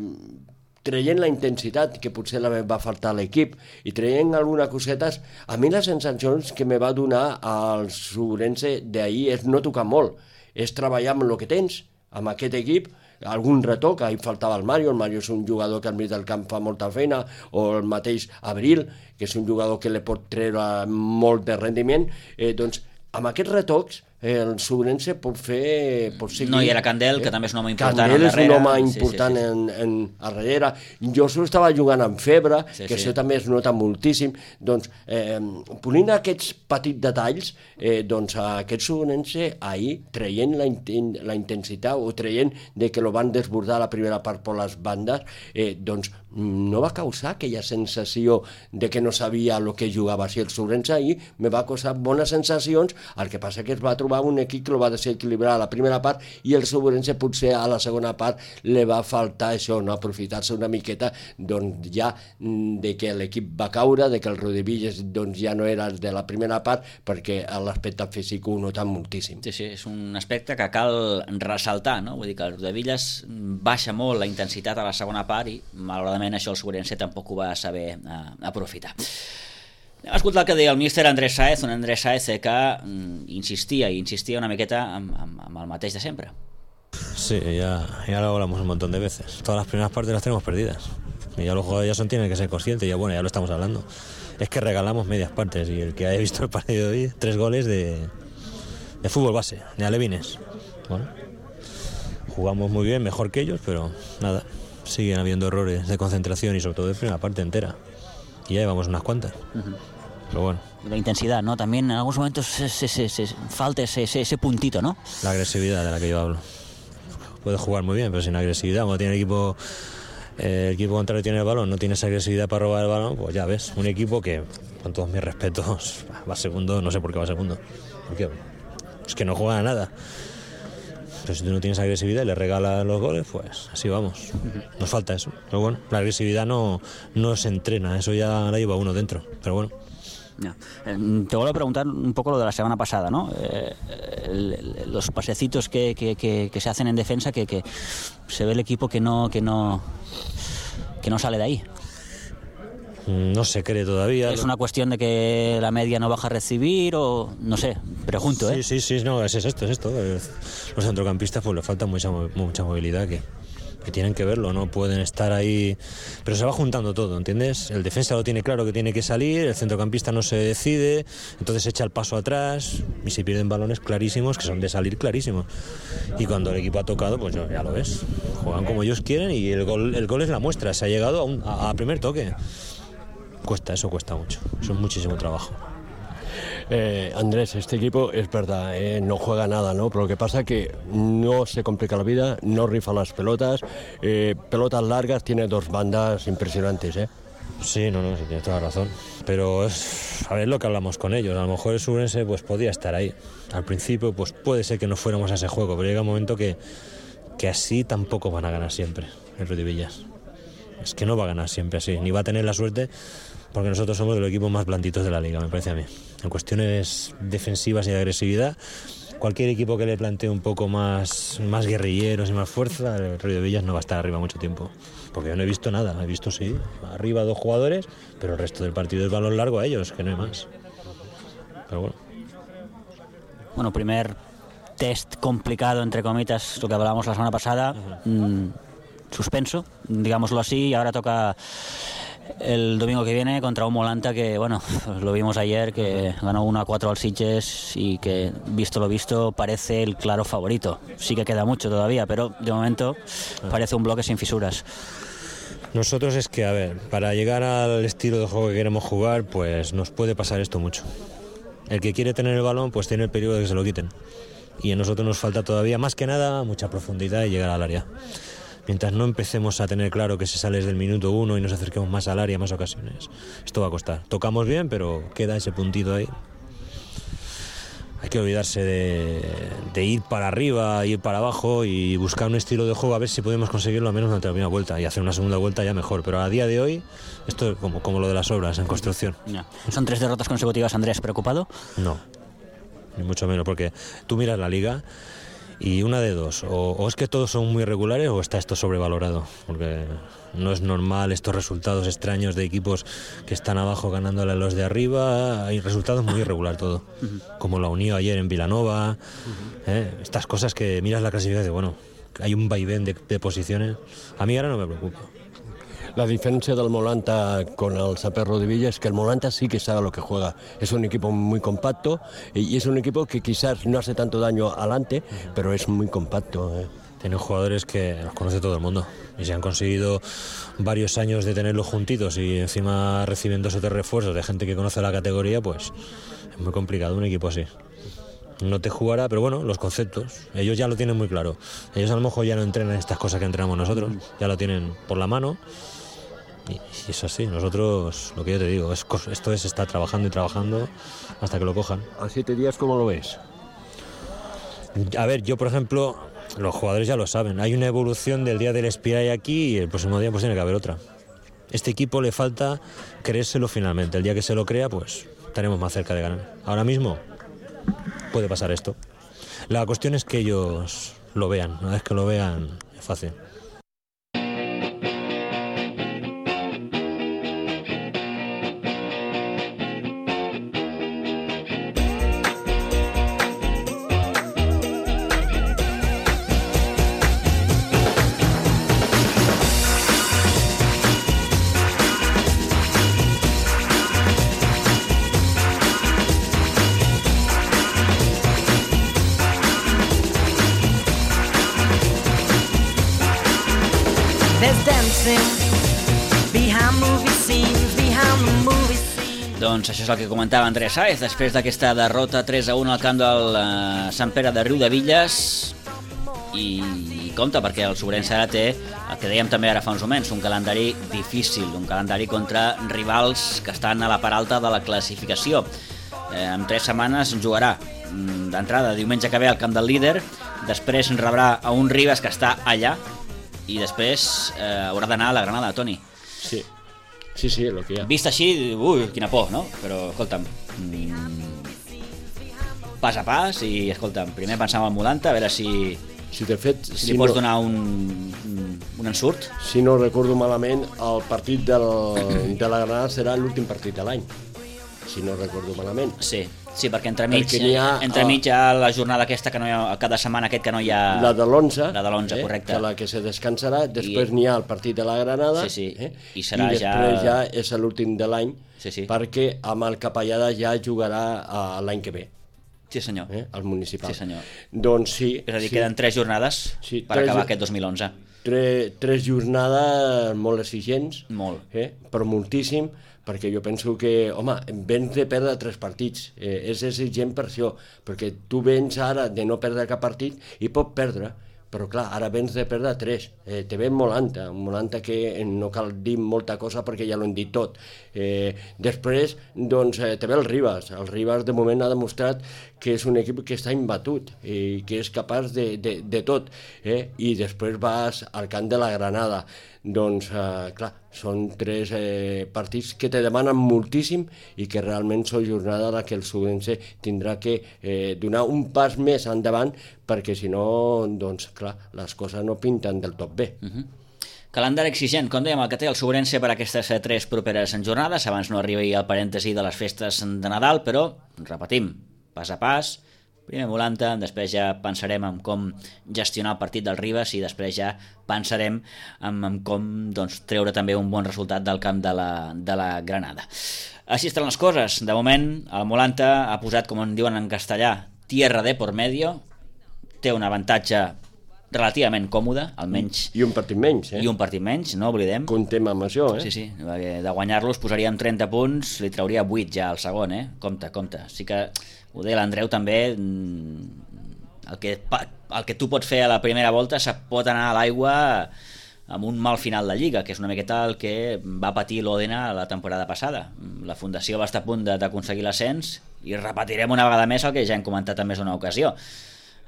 traient la intensitat que potser la va faltar a l'equip i traient algunes cosetes, a mi les sensacions que me va donar al Sobrense d'ahir és no tocar molt, és treballar amb el que tens, amb aquest equip, algun retoc, ahir faltava el Mario, el Mario és un jugador que al mig del camp fa molta feina, o el mateix Abril, que és un jugador que li pot treure molt de rendiment, eh, doncs amb aquests retocs el Sobrense pot fer... Pot seguir, no hi era Candel, eh? Que també és un home important Candel és un home sí, important sí, sí. En, en, a darrere. Josu estava jugant amb febre, sí, que sí. això també es nota moltíssim. Doncs, eh, polint aquests petits detalls, eh, doncs aquest Sobrense ahir, traient la, inten la intensitat o traient de que lo van desbordar la primera part per les bandes, eh, doncs no va causar aquella sensació de que no sabia el que jugava. Si el Sobrense ahir me va causar bones sensacions, el que passa que es va trobar un equip que lo va desequilibrar a la primera part i el Sobrense potser a la segona part li va faltar això, no aprofitar-se una miqueta doncs ja de que l'equip va caure, de que el Rodivilles doncs ja no era de la primera part, perquè l'aspecte físic ho nota moltíssim. Sí, sí, és un aspecte que cal ressaltar, no? Vull dir que el Rodivilles baixa molt la intensitat a la segona part i malauradament això el Sobrense tampoc ho va saber uh, aprofitar. Anem a escoltar el que deia el míster Andrés Sáez, un Andrés Sáez que mm, insistia i insistia una miqueta amb, amb, amb el mateix de sempre. Sí, ya, ya lo hablamos un montón de veces. Todas las primeras partes las tenemos perdidas. Y ya los jugadores ya son, tienen que ser conscientes, ya bueno, ya lo estamos hablando. Es que regalamos medias partes y el que haya visto el partido de hoy, tres goles de, de fútbol base, de alevines. Bueno, jugamos muy bien, mejor que ellos, pero nada, siguen habiendo errores de concentración y sobre todo de primera parte entera. Y ya llevamos unas cuantas. Uh-huh. Pero bueno. La intensidad, ¿no? También en algunos momentos se, se, se, se falta ese, ese, ese puntito, ¿no? La agresividad de la que yo hablo. Puede jugar muy bien, pero sin agresividad, cuando tiene el equipo, eh, el equipo contrario tiene el balón, no tiene esa agresividad para robar el balón, pues ya ves, un equipo que, con todos mis respetos, va segundo, no sé por qué va segundo. ¿Por qué? Es que no juega a nada. Pero si tú no tienes agresividad y le regalas los goles, pues así vamos. Nos falta eso. Pero bueno, la agresividad no, no se entrena, eso ya la lleva uno dentro. Pero bueno. Ya. Eh, te vuelvo a preguntar un poco lo de la semana pasada, ¿no? Eh, el, el, los pasecitos que, que, que, que se hacen en defensa, que, que se ve el equipo que no, que no, que no sale de ahí. No se cree todavía. ¿Es una cuestión de que la media no baja a recibir o no sé? Pregunto, ¿eh? Sí, sí, sí, no, es, es esto, es esto. Los centrocampistas pues les falta mucha, mucha movilidad que, que tienen que verlo, no pueden estar ahí, pero se va juntando todo, ¿entiendes? El defensa lo tiene claro que tiene que salir, el centrocampista no se decide, entonces echa el paso atrás y se pierden balones clarísimos que son de salir clarísimos. Y cuando el equipo ha tocado, pues ya lo ves, juegan como ellos quieren y el gol, el gol es la muestra, se ha llegado a, un, a, a primer toque. Cuesta, eso cuesta mucho, eso es muchísimo trabajo. Eh, Andrés, este equipo es verdad, eh, no juega nada, ¿no? Pero lo que pasa es que no se complica la vida, no rifa las pelotas, eh, pelotas largas, tiene dos bandas impresionantes, ¿eh? Sí, no, no, sí, tienes toda la razón. Pero es, a ver lo que hablamos con ellos. A lo mejor el Subrense pues podía estar ahí. Al principio pues puede ser que no fuéramos a ese juego, pero llega un momento que, que así tampoco van a ganar siempre el Rodivillas. Es que no va a ganar siempre así, ni va a tener la suerte, porque nosotros somos de los equipos más blanditos de la liga, me parece a mí. En cuestiones defensivas y de agresividad, cualquier equipo que le plantee un poco más, más guerrilleros y más fuerza, el Rodivillas no va a estar arriba mucho tiempo. Porque yo no he visto nada, he visto sí, arriba dos jugadores, pero el resto del partido es balón largo a ellos, que no hay más. Pero bueno. Bueno, primer test complicado, entre comitas, lo que hablábamos la semana pasada, uh-huh. mmm, suspenso, digámoslo así, y ahora toca el domingo que viene contra un Molanta que, bueno, lo vimos ayer, que ganó uno a cuatro al Sitges y que, visto lo visto, parece el claro favorito. Sí que queda mucho todavía, pero de momento parece un bloque sin fisuras. Nosotros es que, a ver, para llegar al estilo de juego que queremos jugar, pues nos puede pasar esto mucho. El que quiere tener el balón, pues tiene el peligro de que se lo quiten. Y a nosotros nos falta todavía, más que nada, mucha profundidad y llegar al área. Mientras no empecemos a tener claro que se sale desde el minuto uno y nos acerquemos más al área, más ocasiones, esto va a costar. Tocamos bien, pero queda ese puntito ahí. Hay que olvidarse de, de ir para arriba, ir para abajo y buscar un estilo de juego a ver si podemos conseguirlo al menos durante la primera vuelta y hacer una segunda vuelta ya mejor. Pero a día de hoy, esto es como, como lo de las obras en construcción. No. ¿Son tres derrotas consecutivas, Andrés? ¿Preocupado? No, ni mucho menos, porque tú miras la liga y una de dos, o, o es que todos son muy regulares o está esto sobrevalorado, porque no es normal estos resultados extraños de equipos que están abajo ganándole a los de arriba. Hay resultados muy irregular todo, uh-huh. como la Unió ayer en Vilanova, uh-huh. ¿eh? Estas cosas que miras la clasificación y dices, bueno, hay un vaivén de, de posiciones. A mí ahora no me preocupa. La diferencia del Molanta con el Saper Rodivilla es que el Molanta sí que sabe lo que juega. Es un equipo muy compacto y es un equipo que quizás no hace tanto daño adelante, uh-huh. pero es muy compacto. ¿eh? Tienen jugadores que los conoce todo el mundo y se han conseguido varios años de tenerlos juntitos y encima reciben dos o tres refuerzos de gente que conoce la categoría, pues es muy complicado un equipo así. No te jugará, pero bueno, los conceptos, ellos ya lo tienen muy claro. Ellos a lo mejor ya no entrenan estas cosas que entrenamos nosotros, ya lo tienen por la mano. Y, y es así, nosotros, lo que yo te digo, es, esto es estar trabajando y trabajando hasta que lo cojan. ¿A siete días cómo lo ves? A ver, yo por ejemplo, los jugadores ya lo saben, hay una evolución del día del Espiray aquí y el próximo día pues tiene que haber otra. Este equipo le falta creérselo finalmente, el día que se lo crea pues estaremos más cerca de ganar. Ahora mismo puede pasar esto. La cuestión es que ellos lo vean, una vez que lo vean es fácil. Doncs això és el que comentava Andrés Sáez després d'aquesta derrota tres a un al camp del uh, Sant Pere de Riudevilles i, i compte perquè el Sobrense ara té el que dèiem també ara fa uns moments, un calendari difícil, un calendari contra rivals que estan a la part alta de la classificació. Eh, en tres setmanes jugarà d'entrada diumenge que ve al camp del líder, després rebrà a un Ribes que està allà i després eh, haurà d'anar a la Granada, Toni. Sí. Sí, sí, el que hi ha. Vist així, ui, quina por, no? Però, escolta'm, mmm, pas a pas i, escolta'm, primer pensàvem al Molanta, a veure si, si, de fet, si, si li pots no, donar un, un ensurt. Si no recordo malament, el partit del, de la Granada serà l'últim partit de l'any, si no recordo malament. Sí, sí, perquè entremig, perquè ha, entremig hi ha la jornada aquesta que no hi ha, cada setmana aquest que no hi ha... La de l'onze, la de l'onze, eh, correcte. Que la que se descansarà, després I... n'hi ha el partit de la Granada, sí, sí. Eh? I, serà i després ja... ja és l'últim de l'any, sí, sí. perquè amb el Capellada ja jugarà l'any que ve. Sí, senyor. Eh? El municipal. Sí, senyor. Doncs sí. És a dir, sí. queden tres jornades sí, per tres... acabar aquest dos mil onze. tres, tres jornades molt exigents, molt. Eh? Però moltíssim, perquè jo penso que, home, vens de perdre tres partits, eh, és exigent per això, perquè tu vens ara de no perdre cap partit i pot perdre, però clar, ara vens de perdre tres, eh, te ve Molanta, Molanta que no cal dir molta cosa perquè ja l'ho hem dit tot. Eh, després, doncs, eh, te ve el Ribas, el Ribas de moment ha demostrat que és un equip que està imbatut i que és capaç de, de, de tot, eh? I després vas al camp de la Granada. Doncs, eh, clar, són tres eh, partits que te demanen moltíssim i que realment són jornada en la que el Subense tindrà que eh, donar un pas més endavant perquè si no, doncs, clar, les coses no pinten del tot bé. Uh-huh. Calendari exigent, com dèiem, el que té el Sobrense per aquestes tres properes jornades. Abans no arribi el parèntesi de les festes de Nadal, però, repetim, pas a pas, primer Molanta, després ja pensarem en com gestionar el partit del Ribas i després ja pensarem en, en com doncs, treure també un bon resultat del camp de la, de la Granada. Així estan les coses. De moment, el Molanta ha posat, com en diuen en castellà, tierra de por medio, té un avantatge relativament còmode, almenys... I un partit menys, eh? I un partit menys, no oblidem. Contem amb això, eh? Sí, sí, de guanyar-los posaríem trenta punts, li trauria vuit ja al segon, eh? Compte, compte. Sí que, ho deia l'Andreu també, el que, el que tu pots fer a la primera volta se pot anar a l'aigua amb un mal final de Lliga, que és una miqueta el que va patir l'Òdena la temporada passada. La Fundació va estar a punt d'aconseguir l'ascens i repetirem una vegada més el que ja hem comentat en més d'una ocasió.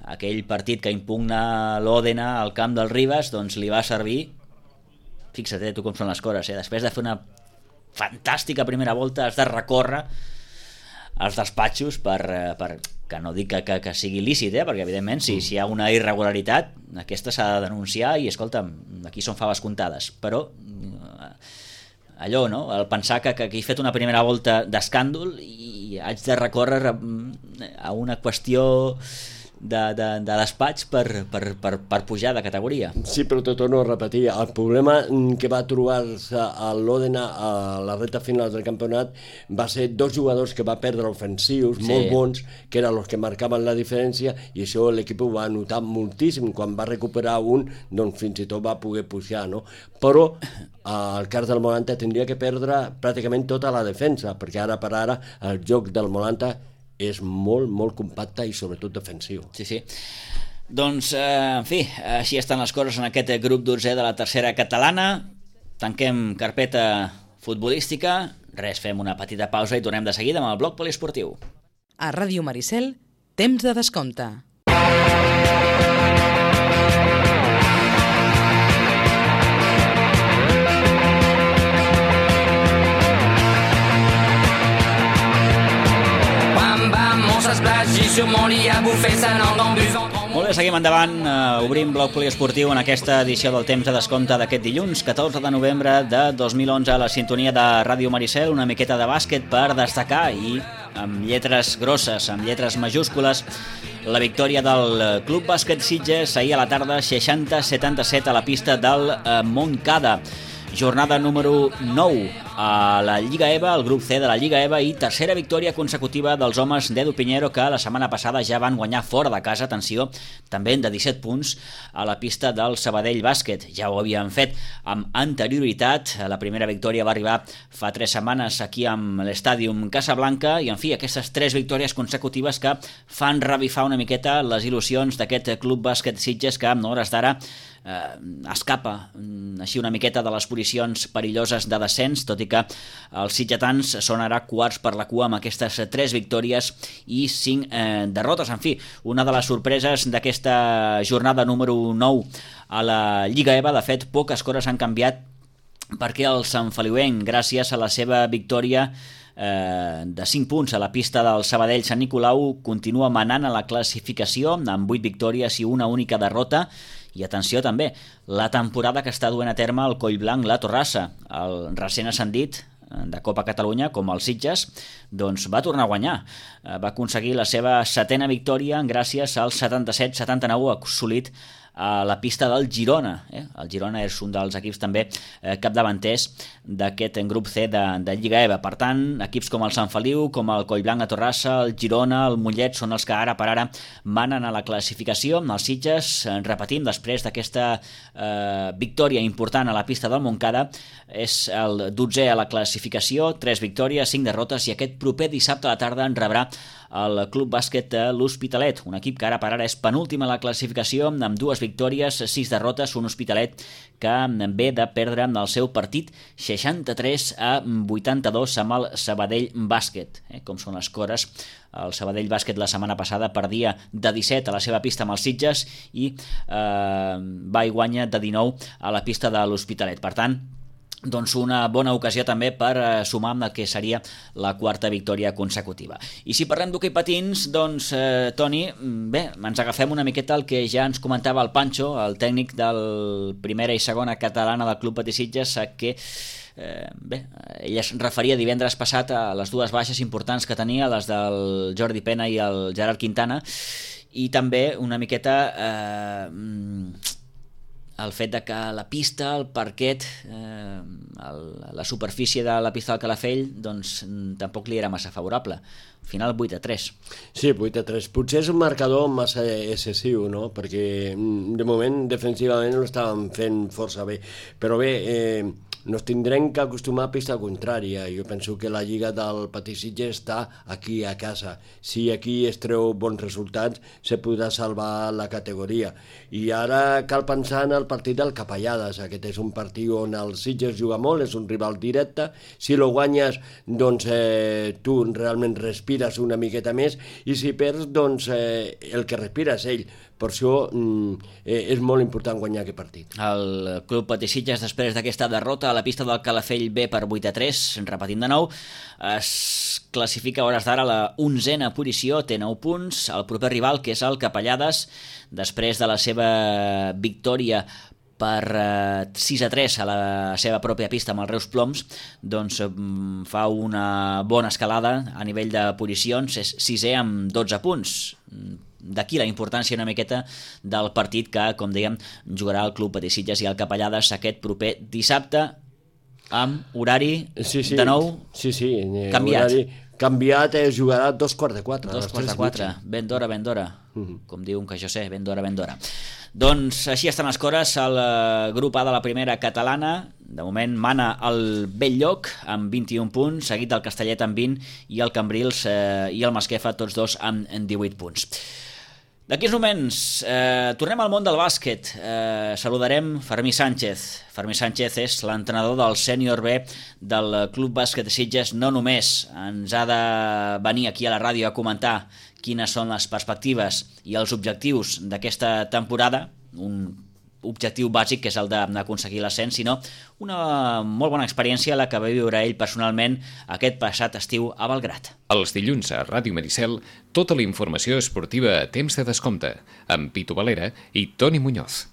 Aquell partit que impugna l'Òdena al camp del Ribas, doncs li va servir, fixa't, eh, tu com són les coses, eh? Després de fer una fantàstica primera volta has de recórrer als despatxos per, per que no dic que, que, que sigui lícit, eh? Perquè evidentment si, si hi ha una irregularitat aquesta s'ha de denunciar i escolta'm, aquí són faves comptades, però allò, no? El pensar que, que he fet una primera volta d'escàndol i haig de recórrer a una qüestió de, de, de despatx per, per, per, per pujar de categoria. Sí, però te torno a repetir, el problema que va trobar-se a l'Òdena a la recta final del campionat va ser dos jugadors que va perdre ofensius, sí, molt bons, que eren els que marcaven la diferència, i això l'equip ho va notar moltíssim. Quan va recuperar un, doncs fins i tot va poder pujar, no? Però el cas del Molanta tindria que perdre pràcticament tota la defensa, perquè ara per ara el joc del Molanta és molt, molt compacte i sobretot defensiu. Sí, sí. Doncs, eh, en fi, així estan les coses en aquest grup dotzè de la tercera catalana. Tanquem carpeta futbolística. Res, fem una petita pausa i tornem de seguida amb el bloc poliesportiu. A Ràdio Maricel, temps de descompte. Molt bé, seguim endavant, uh, obrim bloc poliesportiu en aquesta edició del temps de descompte d'aquest dilluns, catorze de novembre de dos mil onze, a la sintonia de Ràdio Maricel, una miqueta de bàsquet per destacar i amb lletres grosses, amb lletres majúscules, la victòria del Club Bàsquet Sitges ahir a la tarda, seixanta a setanta-set a la pista del uh, Montcada. Jornada número nou a la Lliga E V A, el grup C de la Lliga E V A, i tercera victòria consecutiva dels homes d'Edu Piñero, que la setmana passada ja van guanyar fora de casa, atenció, també de disset punts a la pista del Sabadell Bàsquet. Ja ho havien fet amb anterioritat, la primera victòria va arribar fa tres setmanes aquí amb l'Estàdium Casablanca, i en fi, aquestes tres victòries consecutives que fan revifar una miqueta les il·lusions d'aquest Club Bàsquet Sitges, que en hores d'ara eh, escapa així una miqueta de les posicions perilloses de descens, tot i que els sitgetans són ara quarts per la cua amb aquestes tres victòries i cinc eh, derrotes. En fi, una de les sorpreses d'aquesta jornada número nou a la Lliga E V A, de fet, poques coses han canviat perquè el Sant Feliuenc, gràcies a la seva victòria eh, de cinc punts a la pista del Sabadell Sant Nicolau, continua manant a la classificació amb vuit victòries i una única derrota. I atenció també, la temporada que està duent a terme el Collblanc La Torrassa, el recent ascendit de Copa Catalunya, com el Sitges, doncs va tornar a guanyar. Va aconseguir la seva setena victòria gràcies al setanta-set setanta-nou assolit a la pista del Girona. Eh? El Girona és un dels equips també eh, capdavanters d'aquest grup C de, de Lliga E V A. Per tant, equips com el Sant Feliu, com el Collblanc a Torrassa, el Girona, el Mollet, són els que ara per ara manen a la classificació. Els Sitges, repetim, després d'aquesta eh, victòria important a la pista del Montcada, és el dotzè a la classificació, tres victòries, cinc derrotes, i aquest proper dissabte a la tarda en rebrà el Club Bàsquet de l'Hospitalet, un equip que ara per ara és penúltim a la classificació amb dues victòries, sis derrotes, un Hospitalet que ve de perdre el seu partit seixanta-tres a vuitanta-dos amb el Sabadell Bàsquet. Eh, com són les cores, el Sabadell Bàsquet la setmana passada perdia de disset a la seva pista amb els Sitges i eh, va i guanya de dinou a la pista de l'Hospitalet. Per tant, doncs una bona ocasió també per eh, sumar amb el que seria la quarta victòria consecutiva. I si parlem d'hoquei patins, doncs, eh, Toni, bé, ens agafem una miqueta el que ja ens comentava el Pancho, el tècnic del primera i segona catalana del Club Patí Sitges, que eh, bé, ell es referia divendres passat a les dues baixes importants que tenia, les del Jordi Pena i el Gerard Quintana, i també una miqueta eh, el fet de que la pista, el parquet, eh, el, la superfície de la pista del Calafell, doncs tampoc li era massa favorable. Al final vuit a tres. Sí, vuit a tres. Potser és un marcador massa excessiu, no? Perquè de moment defensivament ho estàvem fent força bé. Però bé, eh, nos tindrem que acostumar a pista contrària. Jo penso que la lliga del Patí Sitges està aquí a casa. Si aquí es treu bons resultats, se podrà salvar la categoria. I ara cal pensar en el partit del Capellades. Aquest és un partit on el Sitges juga molt, és un rival directe. Si lo guanyes, doncs eh, tu realment respires una miqueta més, i si perds, doncs eh, el que respira és ell. Per això eh, és molt important guanyar aquest partit. El Club Patí Sitges, després d'aquesta derrota a la pista del Calafell B per vuit a tres, repetim de nou, es classifica a hores d'ara a la onzena posició, té nou punts. El proper rival, que és el Capellades, després de la seva victòria per eh, sis a tres a la seva pròpia pista amb els Reus Ploms, doncs eh, fa una bona escalada a nivell de posicions, és sisè amb dotze punts. D'aquí la importància una miqueta del partit que, com dèiem, jugarà el Club Patí Sitges i el Capellades aquest proper dissabte, amb horari sí, sí. de nou sí, sí. canviat. Horari canviat, es jugarà dos quarts de quatre. Dos quarts de quatre, ben d'hora, ben d'hora. Uh-huh. Com diuen que jo sé, ben d'hora, ben d'hora. Doncs així estan les cores al grup A de la primera catalana. De moment mana el Belllloc amb vint-i-un punts, seguit del Castellet amb vint, i el Cambrils eh, i el Masquefa, tots dos amb divuit punts. D'aquí uns moments eh, tornem al món del bàsquet. Eh, saludarem Fermí Sánchez. Fermí Sánchez és l'entrenador del sènior B del Club Bàsquet de Sitges. No només ens ha de venir aquí a la ràdio a comentar quines són les perspectives i els objectius d'aquesta temporada, un objectiu bàsic que és el d'aconseguir l'ascens, sinó una molt bona experiència la que va viure ell personalment aquest passat estiu a Belgrat. Els dilluns a Ràdio Maricel, tota la informació esportiva a temps de descompte, amb Pitu Valera i Toni Muñoz.